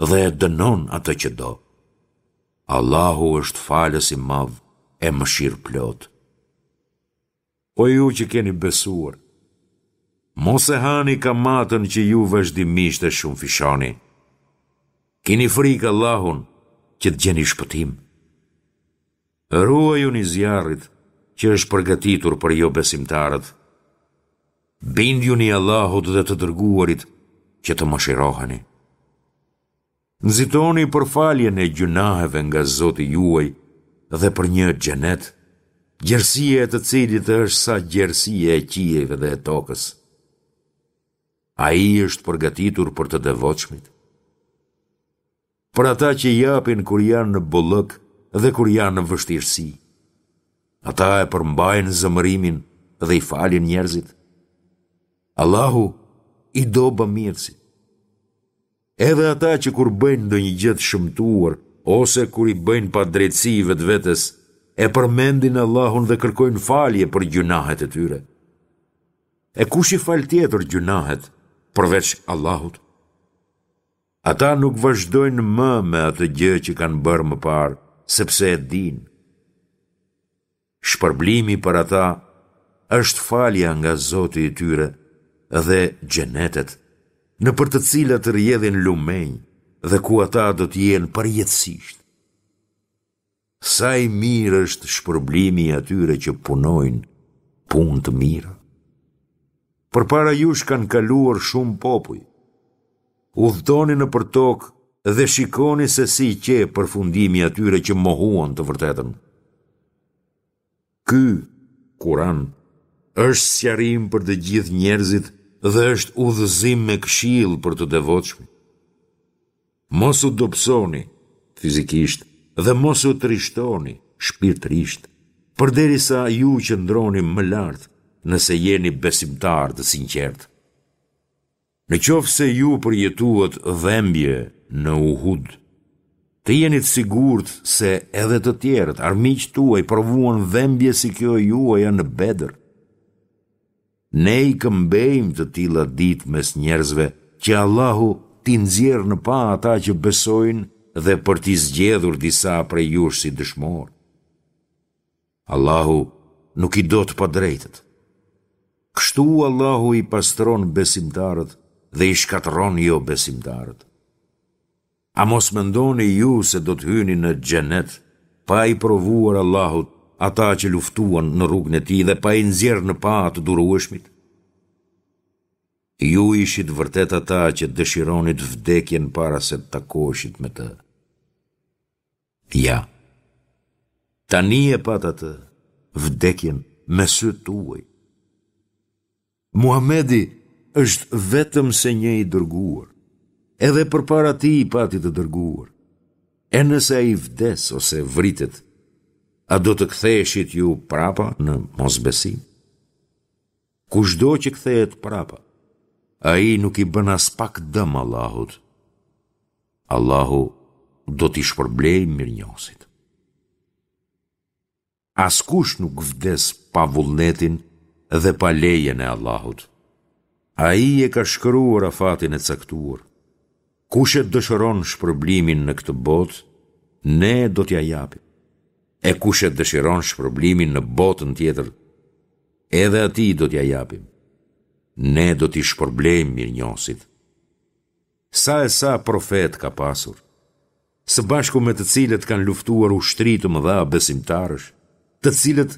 dhe e dënon atë që do. Allahu është falës i madh e mëshirëplotë. O ju që keni besuar, mos e hani kamatën që ju vazhdimisht e shumëfishoni. Kini frikë Allahun që të gjeni shpëtim. Ruajuni zjarrit që është përgatitur për jobesimtarët. Bindjuni Allahut dhe të dërguarit që të mëshiroheni. Nxitoni për faljen e gjynaheve nga Zoti juaj dhe për një xhenet, gjerësia e të cilit është sa gjerësia e qiejve dhe e tokës. Ai është përgatitur për të devotshmit. Për ata që japin kur janë në bollëk dhe kur janë në vështirësi. Ata e përmbajnë zemërimin dhe i falin njerëzit. Allahu i do bamirësit. Edhe ata që kur bëjnë ndonjë gjë të shëmtuar ose kur i bëjnë padrejtësi vetvetes, e përmendin Allahun dhe kërkojnë falje për gjynahet e tyre. E kush i fal tjetër gjynahet përveç Allahut? Ata nuk vazhdojnë më me atë gjë që kanë bërë më parë, sepse e dinë. Shpërblimi për ata është falja nga Zoti i tyre dhe xhenetet, nëpër të cilat rrjedhin lumenj dhe ku ata do të jenë përjetësisht. Sa i mirë është shpërblimi i atyre që punojnë punë të mira. Përpara jush kanë kaluar shumë popuj. Udhëtoni nëpër tokë dhe shikoni se si qe përfundimi i atyre që mohuan të vërtetën. Ky Kuran është sqarim për të gjithë njerëzit dhe është udhëzim me këshillë për të devotshmit. Mos u dobësoni fizikisht dhe mos u trishtoni shpirtërisht, përderisa ju qëndroni më lart, nëse jeni besimtarë të sinqertë. Në qoftë se ju përjetuat dhembje në Uhud, të jeni të sigurt se edhe të tjerët, armiqtë tuaj, provuan dhembje si kjo e juaja në Bedër. Ne i këmbejmë të tilla ditë mes njerëzve që Allahu t'i nxjerrë në pah ata që besojnë dhe për t'i zgjedhur disa prej jush si dëshmorë. Allahu nuk i do të padrejtët. Kështu Allahu i pastron besimtarët dhe i shkatërron jobesimtarët. A mos mendoni ju se do të hyni në xhenet pa i provuar Allahu ata që luftuan në rrugën e tij dhe pa i nxjerrë në pah të durueshmit? Ju ishit vërtet ata që dëshironit vdekjen para se të takoheshit me të. Ja, tani e patë atë, vdekjen, me sytë tuaj. Muhamedi është vetëm se një i dërguar, edhe përpara tij pati të dërguar. E nëse ai vdes ose vritet, a do të ktheheshit ju prapa në mosbesim? Kushdo që kthehet prapa, ai nuk i bën aspak dëm Allahut. Allahu do t'i shpërblejë mirënjohësit. Askush nuk vdes pa vullnetin dhe pa lejen e Allahut. Ai e ka shkruar afatin e caktuar. Kush e dëshiron shpërblimin në këtë botë, ne do t'ia japim. E kush e dëshiron shpërblimin në botën tjetër, edhe atij do t'ia japim. Ne do t'i shpërblejmë mirënjohësit. Sa e sa profetë ka pasur, së bashku me të cilët kanë luftuar ushtri të mëdha besimtarësh, të cilët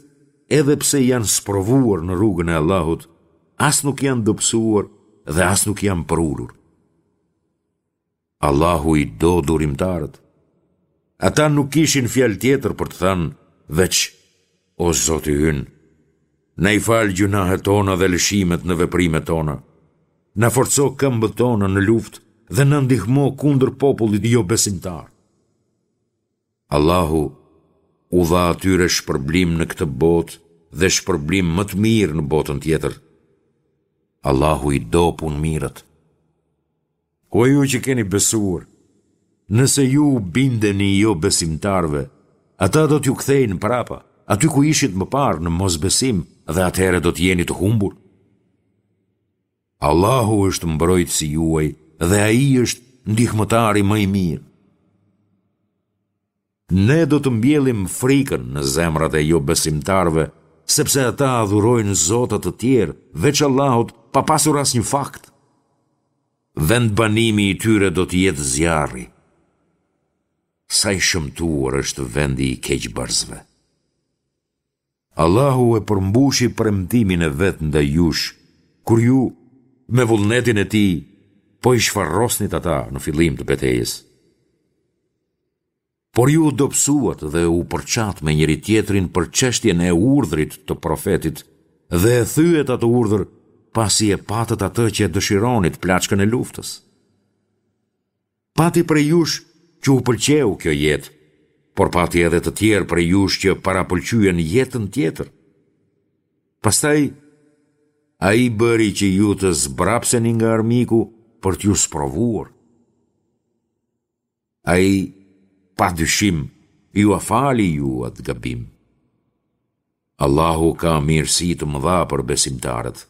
edhe pse janë sprovuar në rrugën e Allahut, as nuk janë dobësuar dhe as nuk janë përulur. Allahu i do durimtarët. Ata nuk kishin fjalë tjetër për të thënë, veç, o Zoti ynë, na i fal gjynahet tona dhe lëshimet në veprimet tona. Na forco këmbët tona në luftë dhe na ndihmo kundër popullit jobesimtar. Allahu u dha atyre shpërblim në këtë botë dhe shpërblim më të mirë në botën tjetër. Allahu i do punëmirët. O ju që keni besuar, nëse ju u bindeni jobesimtarëve, ata do t'ju kthejnë prapa, aty ku ishit më parë në mosbesim dhe atëherë do të jeni të humbur. Allahu është mbrojtësi juaj dhe Ai është ndihmëtari më i mirë. Ne do të mbjellim frikën në zemrat e jobesimtarëve, sepse ata adhurojnë zota të tjerë, veç Allahut, pa pasur asnjë fakt. Vendbanimi i tyre do të jetë zjarri. Sa i shëmtuar është vendi i keqbërësve. Allahu e përmbushi premtimin e vet ndaj jush, kur ju, me vullnetin e Tij, po i shfarosnit ata në fillim të betejës. Por ju u dobësuat dhe u përçatë me njëri-tjetrin për çështjen e urdhrit të Profetit dhe e thyet atë urdhër pasi e patët atë që e dëshironit plaçkën e luftës. Pati prej jush që u pëlqeu kjo jetë, por pati edhe të tjerë prej jush që parapëlqyen jetën tjetër. Pastaj, ai bëri që ju të zbrapseni nga armiku për t'ju sprovuar. Ai, pa dyshim, jua fali ju atë gabim. Allahu ka mirësi të mëdha për besimtarët.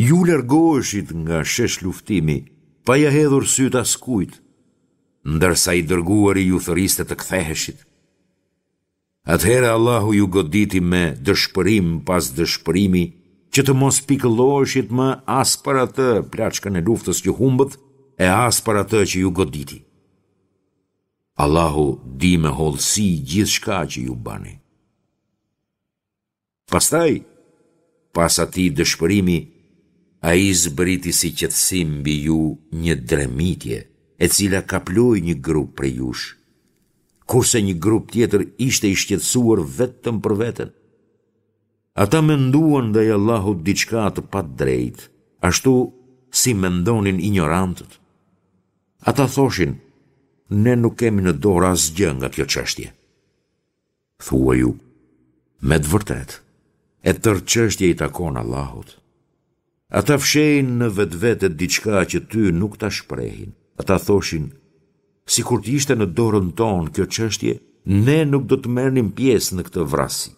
Ju largoheshit nga sheshluftimi, pa ia hedhur sytë askujt, ndërsa i dërguari ju thërriste të ktheheshit. Atëherë Allahu ju goditi me dëshpërim pas dëshpërimi që të mos pikëlloheshit më as për atë plaçkën e luftës që humbët e as për atë që ju goditi. Allahu di me hollësi gjithçka që ju bëni. Pastaj, pas atij dëshpërimi, ai zbriti si qetësim mbi ju një dremitje, e cila kaploi një grup prej jush, kurse një grup tjetër ishte i shqetësuar vetëm për veten. Ata menduan ndaj Allahut diçka të padrejtë, ashtu si mendonin injorantët. Ata thoshin, ne nuk kemi në dorë asgjë nga kjo çështje. Thuaju, me të vërtetë, e tërë çështja i takon Allahut. Ata fshehin në vetvete diçka që ty nuk ta shprehin. Ata thoshin, sikur të ishte në dorën tonë kjo çështje, ne nuk do të merrnim pjesë në këtë vrasje.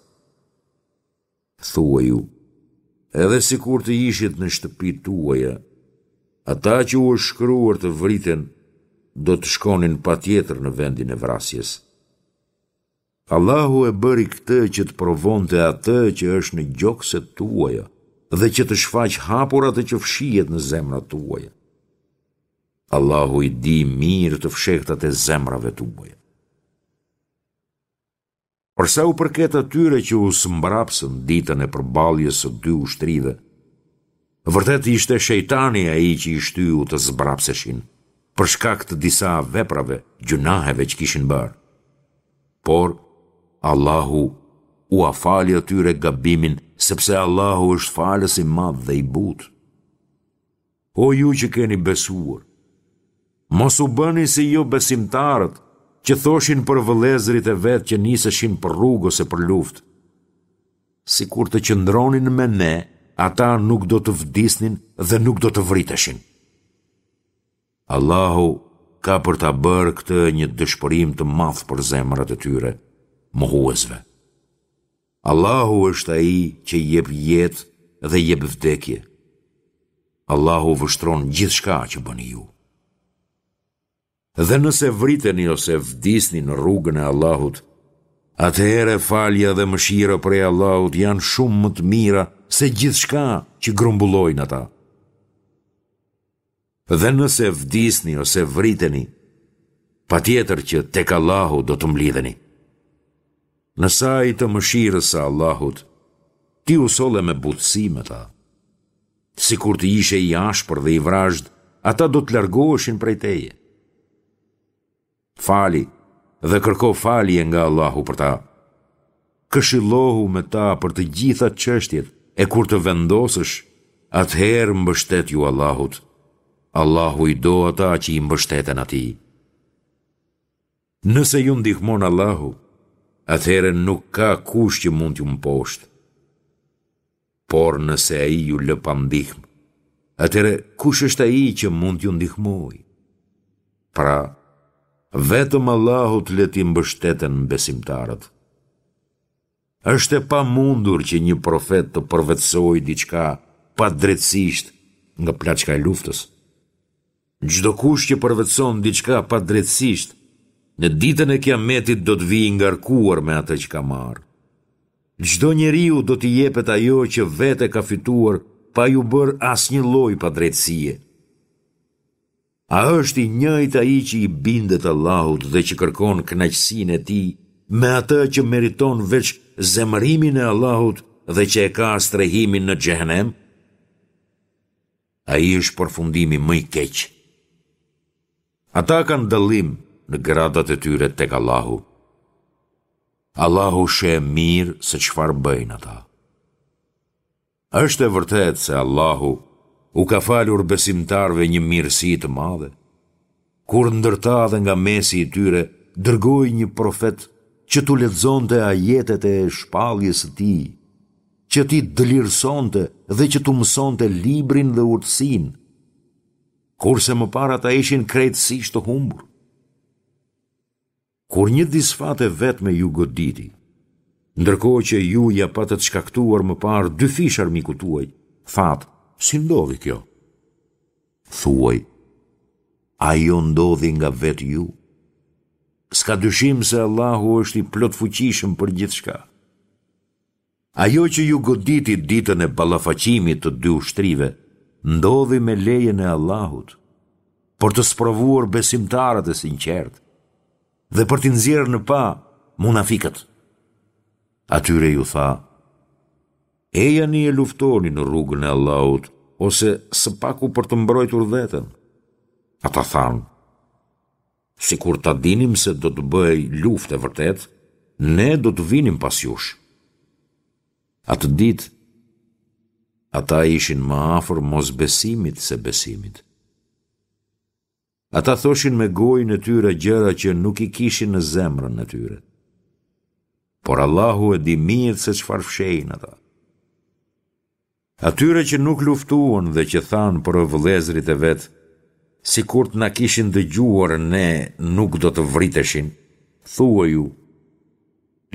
Thuaju, edhe sikur të ishit në shtëpitë tuaja, ata që u është shkruar të vriten, do të shkonin patjetër në vendin e vrasjes. Allahu e bëri këtë që të provonte atë që është në gjokset tuaja dhe që të shfaqë hapur atë që fshihet në zemrat tuaja. Allahu i di mirë të fshehtat e zemrave tuaja. Për sa u përket atyre që u zmbrapsën ditën e përballjes së dy ushtrive, vërtet ishte shejtani ai që i shtyu të zmbrapseshin, për shkak të disa veprave, gjynaheve që kishin bërë. Por, Allahu ua fali atyre gabimin, sepse Allahu është falës i madh dhe i butë. O ju që keni besuar, mos u bëni si jobesimtarët që thoshin për vëllezërit e vet që niseshin për rrugë ose për luftë. Sikur të qëndronin me ne, ata nuk do të vdisnin dhe nuk do të vriteshin. Allahu ka për ta bërë këtë një dëshpërim të madh për zemrat e tyre, mohuesve. Allahu është ai që jep jetë dhe jep vdekje. Allahu vështron gjithçka që bëni ju. Dhe nëse vriteni ose vdisni në rrugën e Allahut, atëherë falja dhe mëshira prej Allahut janë shumë më të mira se gjithçka që grumbullojnë ata. Dhe nëse vdisni ose vriteni, patjetër që tek Allahu do të mblidheni. Në sajë të mëshirës së Allahut, ti u solle me butësi me ta. Sikur të ishe i ashpër dhe i vrazhdë, ata do të largoheshin prej teje. Fali dhe kërko falje nga Allahu për ta. Këshillohu me ta për të gjitha çështjet e kur të vendosësh, atëherë mbështetju Allahut. Allahu i do ata që i mbështeten atij. Nëse ju ndihmon Allahu, atëherë nuk ka kush që mund t'ju mposhtë. Por nëse ai ju lë pa ndihmë, atëherë kush është ai që mund t'ju ndihmojë? Pra, vetëm Allahut le t'i mbështeten besimtarët. Është e pamundur që një profet të përvetësojë diçka padrejtësisht nga plaçka e luftës. Çdokush që përvetëson diçka padrejtësisht, në ditën e Kiametit do të vijë i ngarkuar me atë që ka marrë. Çdo njeriu do t'i jepet ajo që vetë e ka fituar pa iu bërë asnjë lloj padrejtësie. A është i njëjtë ai që i bindet Allahut dhe që kërkon kënaqësinë e Tij me atë që meriton veç zemërimin e Allahut dhe që e ka strehimin në Xhehenem? Ai është përfundimi më i keq. Ata kanë dallim në gradat e tyre tek Allahu. Allahu sheh mirë se çfarë bëjnë ata. Është e vërtetë se Allahu u ka falur besimtarëve një mirësi të madhe, kur ndër ta dhe nga mesi i tyre dërgoi një profet që t'u lexonte ajetet e shpalljes së tij, që t'i dëlirësonte dhe që t'u mësonte librin dhe urtësinë, kurse më parë ata ishin krejtësisht të humbur. Kur një disfatë e vetme ju goditi, ndërkohë që ju ia patët shkaktuar më parë dyfish armikut tuaj, thatë, si ndodhi kjo? Thuaj, ajo ndodhi nga vetë ju. S'ka dyshim se Allahu është i plotfuqishëm për gjithçka. Ajo që ju goditi ditën e ballafaqimit të dy ushtrive, ndodhi me lejen e Allahut, për të sprovuar besimtarët e sinqertë dhe për t'i nxjerrë në pah munafikët. Atyre iu tha, ejani e luftoni në rrugën e Allahut, ose së paku për të mbrojtur veten. Ata thanë, sikur ta dinim se do të bëhej luftë e vërtetë, ne do të vinim pas jush. Atë ditë, ata ishin më afër mosbesimit se besimit. Ata thoshin me gojën e tyre gjëra që nuk i kishin në zemrën e tyre. Por Allahu e di mirë se çfarë fshehin ata. Atyre që nuk luftuan dhe që thanë për vëllezërit e vet, sikur të na kishin dëgjuar ne nuk do të vriteshin, thuaju,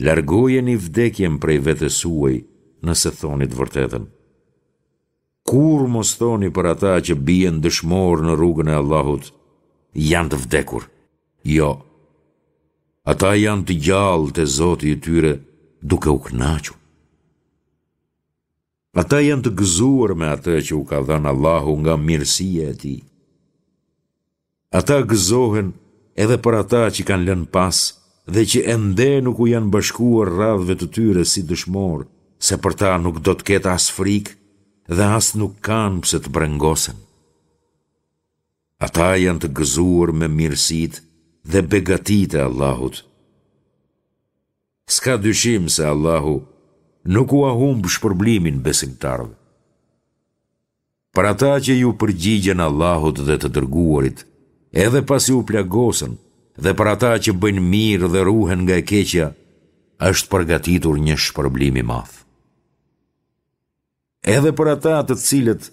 largojeni vdekjen prej vetes suaj nëse thoni të vërtetën. Kurrë mos thoni për ata që bien dëshmorë në rrugën e Allahut, janë të vdekur. Jo. Ata janë të gjallë te Zoti i tyre duke u kënaqur. Ata janë të gëzuar me atë që u ka dhënë Allahu nga mirësia e Tij. Ata gëzohen edhe për ata që kanë lënë pas dhe që ende nuk u janë bashkuar radhëve të tyre si dëshmorë, se për ta nuk do të ketë as frikë dhe as nuk kanë pse të brengosen. Ata janë të gëzuar me mirësitë dhe begatitë e Allahut. S'ka dyshim se Allahu nuk ua humb shpërblimin besimtarëve. Për ata që iu përgjigjën Allahut dhe të dërguarit, edhe pasi u plagosën, dhe për ata që bëjnë mirë dhe ruhen nga e keqja, është përgatitur një shpërblim i madh. Edhe për ata të cilët,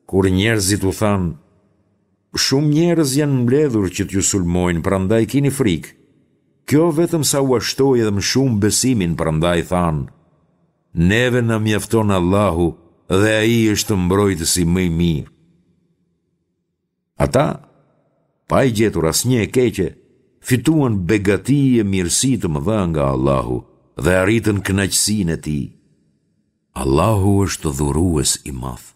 kur njerëzit u thanë, shumë njerëz janë mbledhur që t'ju sulmojnë, prandaj kini frikë. Kjo vetëm sa ua shtoi edhe më shumë besimin, prandaj thanë, neve na mjafton Allahu dhe Ai është mbrojtësi më i mirë. Ata, pa i gjetur asnjë e keqe, fituan begati e mirësi të mëdha nga Allahu dhe arritën kënaqësinë e Tij. Allahu është dhurues i madh.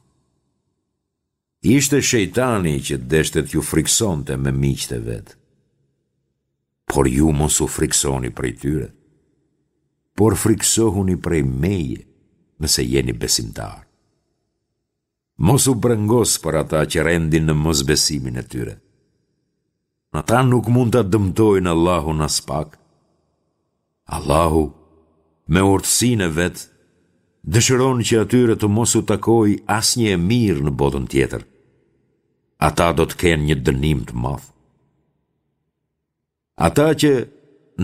Ishte shejtani që deshte t'ju frikësonte me miqtë e vet. Por ju mos u frikësoni prej tyre, por frikësohuni prej meje, nëse jeni besimtarë. Mos u brengos për ata që rendin në mosbesimin e tyre. Ata nuk mund ta dëmtojnë Allahun aspak. Allahu, me urtësinë e vet, dëshiron që atyre të mos u takojë asnjë e mirë në botën tjetër. Ata do të kenë një dënim të madh. Ata që,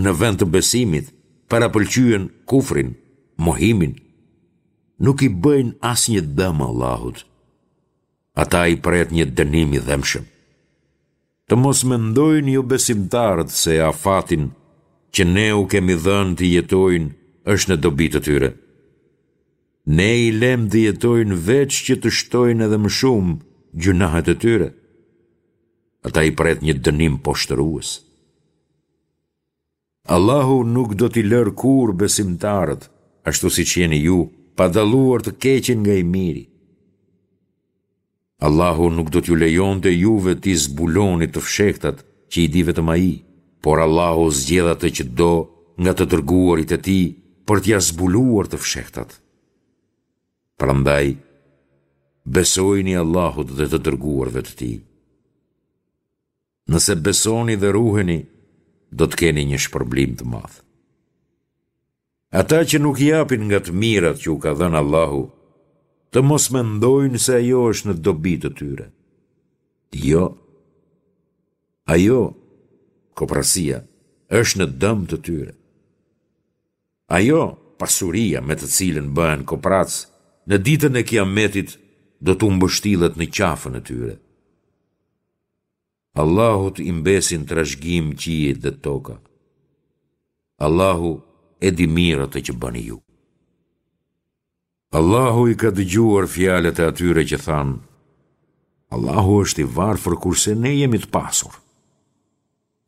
në vend të besimit, parapëlqyen kufrin, mohimin, nuk i bëjnë asnjë dëm Allahut. Ata i pret një dënim i dhembshëm. Të mos mendojnë jobesimtarët se afatin që ne u kemi dhënë të jetojnë është në dobi të tyre. Ne i lemë të jetojnë veç që të shtojnë edhe më shumë gjynahet e tyre. Ata i pret një dënim poshtërues. Allahu nuk do t'i lërë kurrë besimtarët, ashtu siç jeni ju, pa dalluar të keqen nga i miri. Allahu nuk do t'ju lejonte juve t'i zbuloni të fshehtat që i di vetëm Ai, por Allahu zgjedh atë që do nga të dërguarit e Tij për t'ia zbuluar të fshehtat. Prandaj, besojini Allahut dhe të dërguarve të Tij. Nëse besoni dhe ruheni, do të keni një shpërblim të madh. Ata që nuk japin nga të mirat që u ka dhënë Allahu, të mos mendojnë se ajo është në dobi të tyre. Jo. Ajo, kopracia, është në dëm të tyre. Ajo, pasuria me të cilën bëhen kopracë, në ditën e Kiametit do t'u mbështillet në qafën e tyre. Allahut i mbesin trashëgim qiejt dhe toka. Allahu e di mirë atë që bëni ju. Allahu i ka dëgjuar fjalët e atyre që thanë, Allahu është i varfër kurse ne jemi të pasur.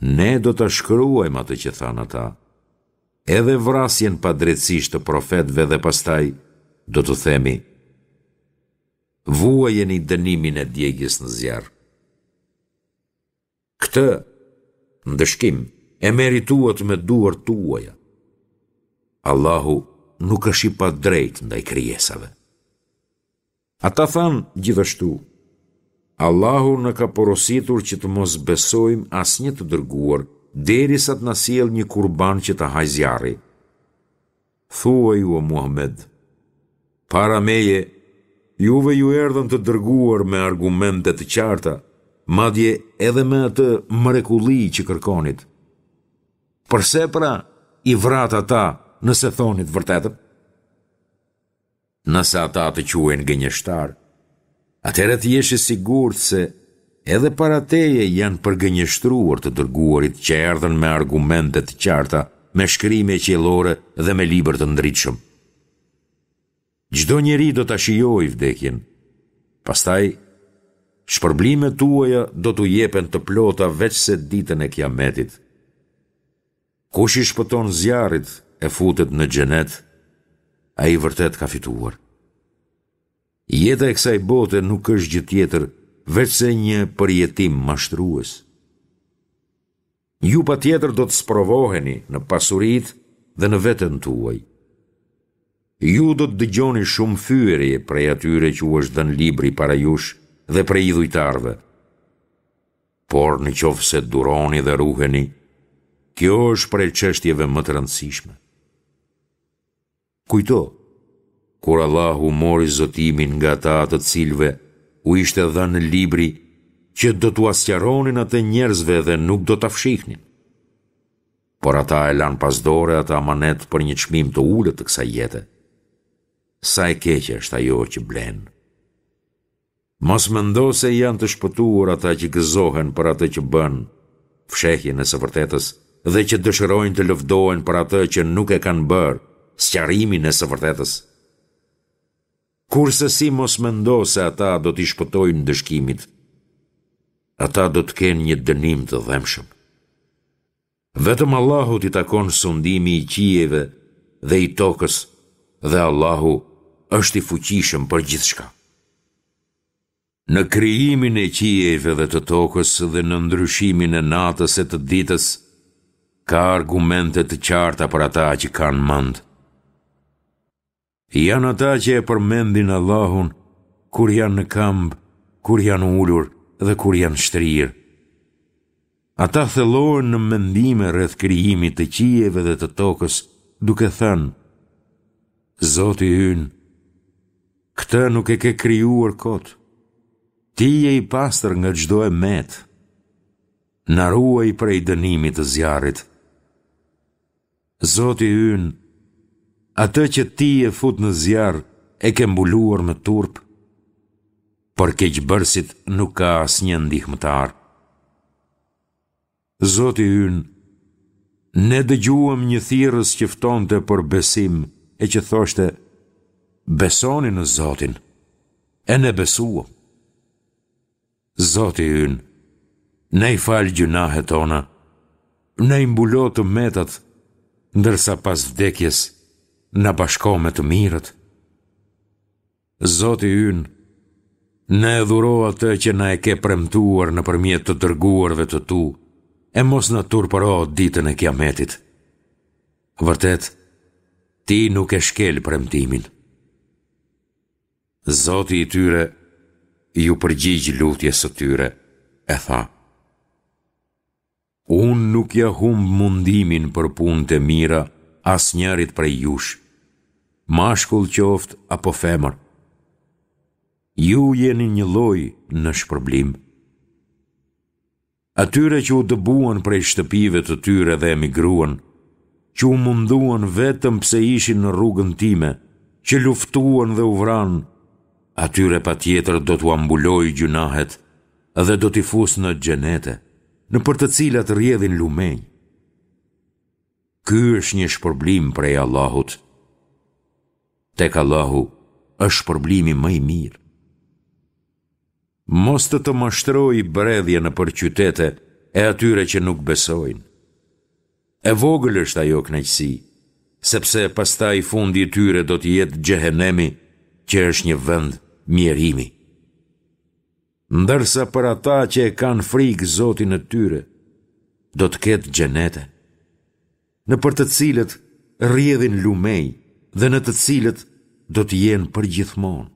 Ne do ta shkruajmë atë që thanë ata, edhe vrasjen padrejtësisht të profetëve dhe pastaj do t'u themi, Vuajeni dënimin e djegies në zjarr. Këtë ndëshkim e merituat me duart tuaja. Allahu nuk është i padrejtë ndaj krijesave. Ata thanë gjithashtu, Allahu na ka porositur që të mos besojmë asnjë të dërguar derisa të na sjellë një kurban që ta hajë zjarri. Thuaju o Muhamed, para meje, juve ju erdhën të dërguar me argumente të qarta, madje edhe me atë mrekulli që kërkonit. Përse pra i vratë ata nëse thonit të vërtetën? Nëse ata të quajnë gënjeshtar, atëherë të jesh i sigurt se edhe para teje janë përgënjeshtruar të dërguarit që erdhën me argumente të qarta, me shkrime qiellore dhe me libër të ndritshëm. Çdo njeri do ta shijojë vdekjen. Pastaj, shpërblimet tuaja do t'u jepen të plota veçse ditën e Kiametit. Kush i shpëton zjarrit e futet në xhenet, ai vërtet ka fituar. Jeta e kësaj bote nuk është gjë tjetër veçse një përjetim mashtrues. Ju patjetër do të sprovoheni në pasuritë dhe në veten tuaj. Ju do të dëgjoni shumë fyerje prej atyre që u është dhënë libri para jush dhe prej idhujtarëve. Por në qoftë se duroni dhe ruheni, kjo është prej çështjeve më të rëndësishme. Kujto, kur Allahu mori zotimin nga ata të cilëve u ishte dhënë libri që do t'ua sqaronin atë njerëzve dhe nuk do ta fshihnin. Por ata e lanë pas dore atë amanet për një çmim të ulët të kësaj jete. Sa e keqe është ajo që blenë. Mos mendo se janë të shpëtuar ata që gëzohen për atë që bënë, fshehjen e së vërtetës, dhe që dëshirojnë të lëvdohen për atë që nuk e kanë bërë, sqarimin e së vërtetës. Kurrsesi mos mendo se ata do t'i shpëtojnë ndëshkimit. Ata do të kenë një dënim të dhembshëm. Vetëm Allahut i takon sundimi i qiejve dhe i tokës dhe Allahu është i fuqishëm për gjithçka. Në krijimin e qiejve dhe të tokës dhe në ndryshimin e natës e të ditës ka argumente të qarta për ata që kanë mend. Janë ata që e përmendin Allahun kur janë në këmbë, kur janë ulur dhe kur janë shtrirë. Ata thellohen në mendime rreth krijimit të qiejve dhe të tokës, duke thënë: Zoti ynë, këtë nuk e ke krijuar kot. Ti je i pastër nga çdo e metë. Na ruaj prej dënimit të zjarrit. Zoti ynë, atë që ti e fut në zjarr e ke mbuluar me turp. Për keqbërësit nuk ka asnjë ndihmëtar. Zoti ynë, ne dëgjuam një thirrës që ftonte për besim e që thoshte, besoni në Zotin, e ne besuam. Zoti ynë, na i fal gjynahet tona, na i mbulo të metat, ndërsa pas vdekjes na bashko me të mirët. Zoti ynë, na e dhuro atë që na e ke premtuar nëpërmjet të dërguarve të tu, e mos na turpëro ditën e Kiametit. Vërtet, ti nuk e shkel premtimin. Zoti i tyre iu përgjigj lutjes së tyre e tha: Unë nuk ia humb mundimin për punët e mira asnjërit prej jush, mashkull qoftë apo femër. Ju jeni njëlloj në shpërblim. Atyre që u dëbuan prej shtëpive të tyre dhe emigruan, që u munduan vetëm pse ishin në rrugën time, që luftuan dhe u vranë, atyre patjetër do t'ua mbuloj gjynahet dhe do t'i fus në xhenete, nëpër të cilat rrjedhin lumenj. Ky është një shpërblim prej Allahut. Tek Allahu është shpërblimi më i mirë. Mos të të mashtrojë bredhja nëpër qytete e atyre që nuk besojnë. E vogël është ajo kënaqësi, sepse pastaj fundi i tyre do të jetë xhehenemi, që është një vend mjerimi. Ndërsa për ata që e kanë frikë Zotin e tyre, do të ketë xhenete, nëpër të cilët rrjedhin lumenj dhe në të cilët do të jenë përgjithmonë.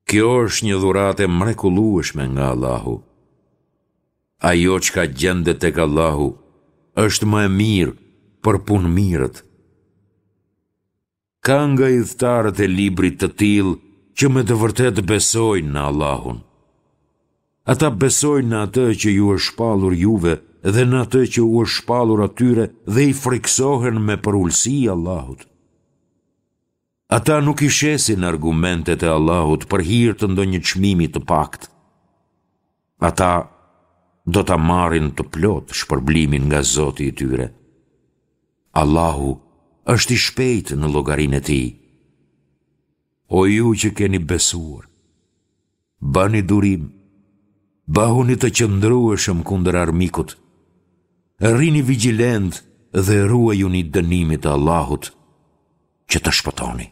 Kjo është një dhuratë e mrekullueshme nga Allahu. Ajo çka gjendet tek Allahu është më e mirë për punëmirët. Ka nga ithtarët e librit të tillë që me të vërtetë besojnë në Allahun. Ata besojnë në atë që ju është shpallur juve dhe në atë që u është shpallur atyre dhe i frikësohen me përulësi Allahut. Ata nuk i shesin argumentet e Allahut për hir të ndonjë çmimi të paktë. Ata do ta marrin të plotë shpërblimin nga Zoti i tyre. Allahu është i shpejtë në llogarinë e tij. O ju që keni besuar, bëni durim, bëhuni të qëndrueshëm kundër armikut, rrini vigjilentë dhe ruajuni dënimit të Allahut që të shpëtoni.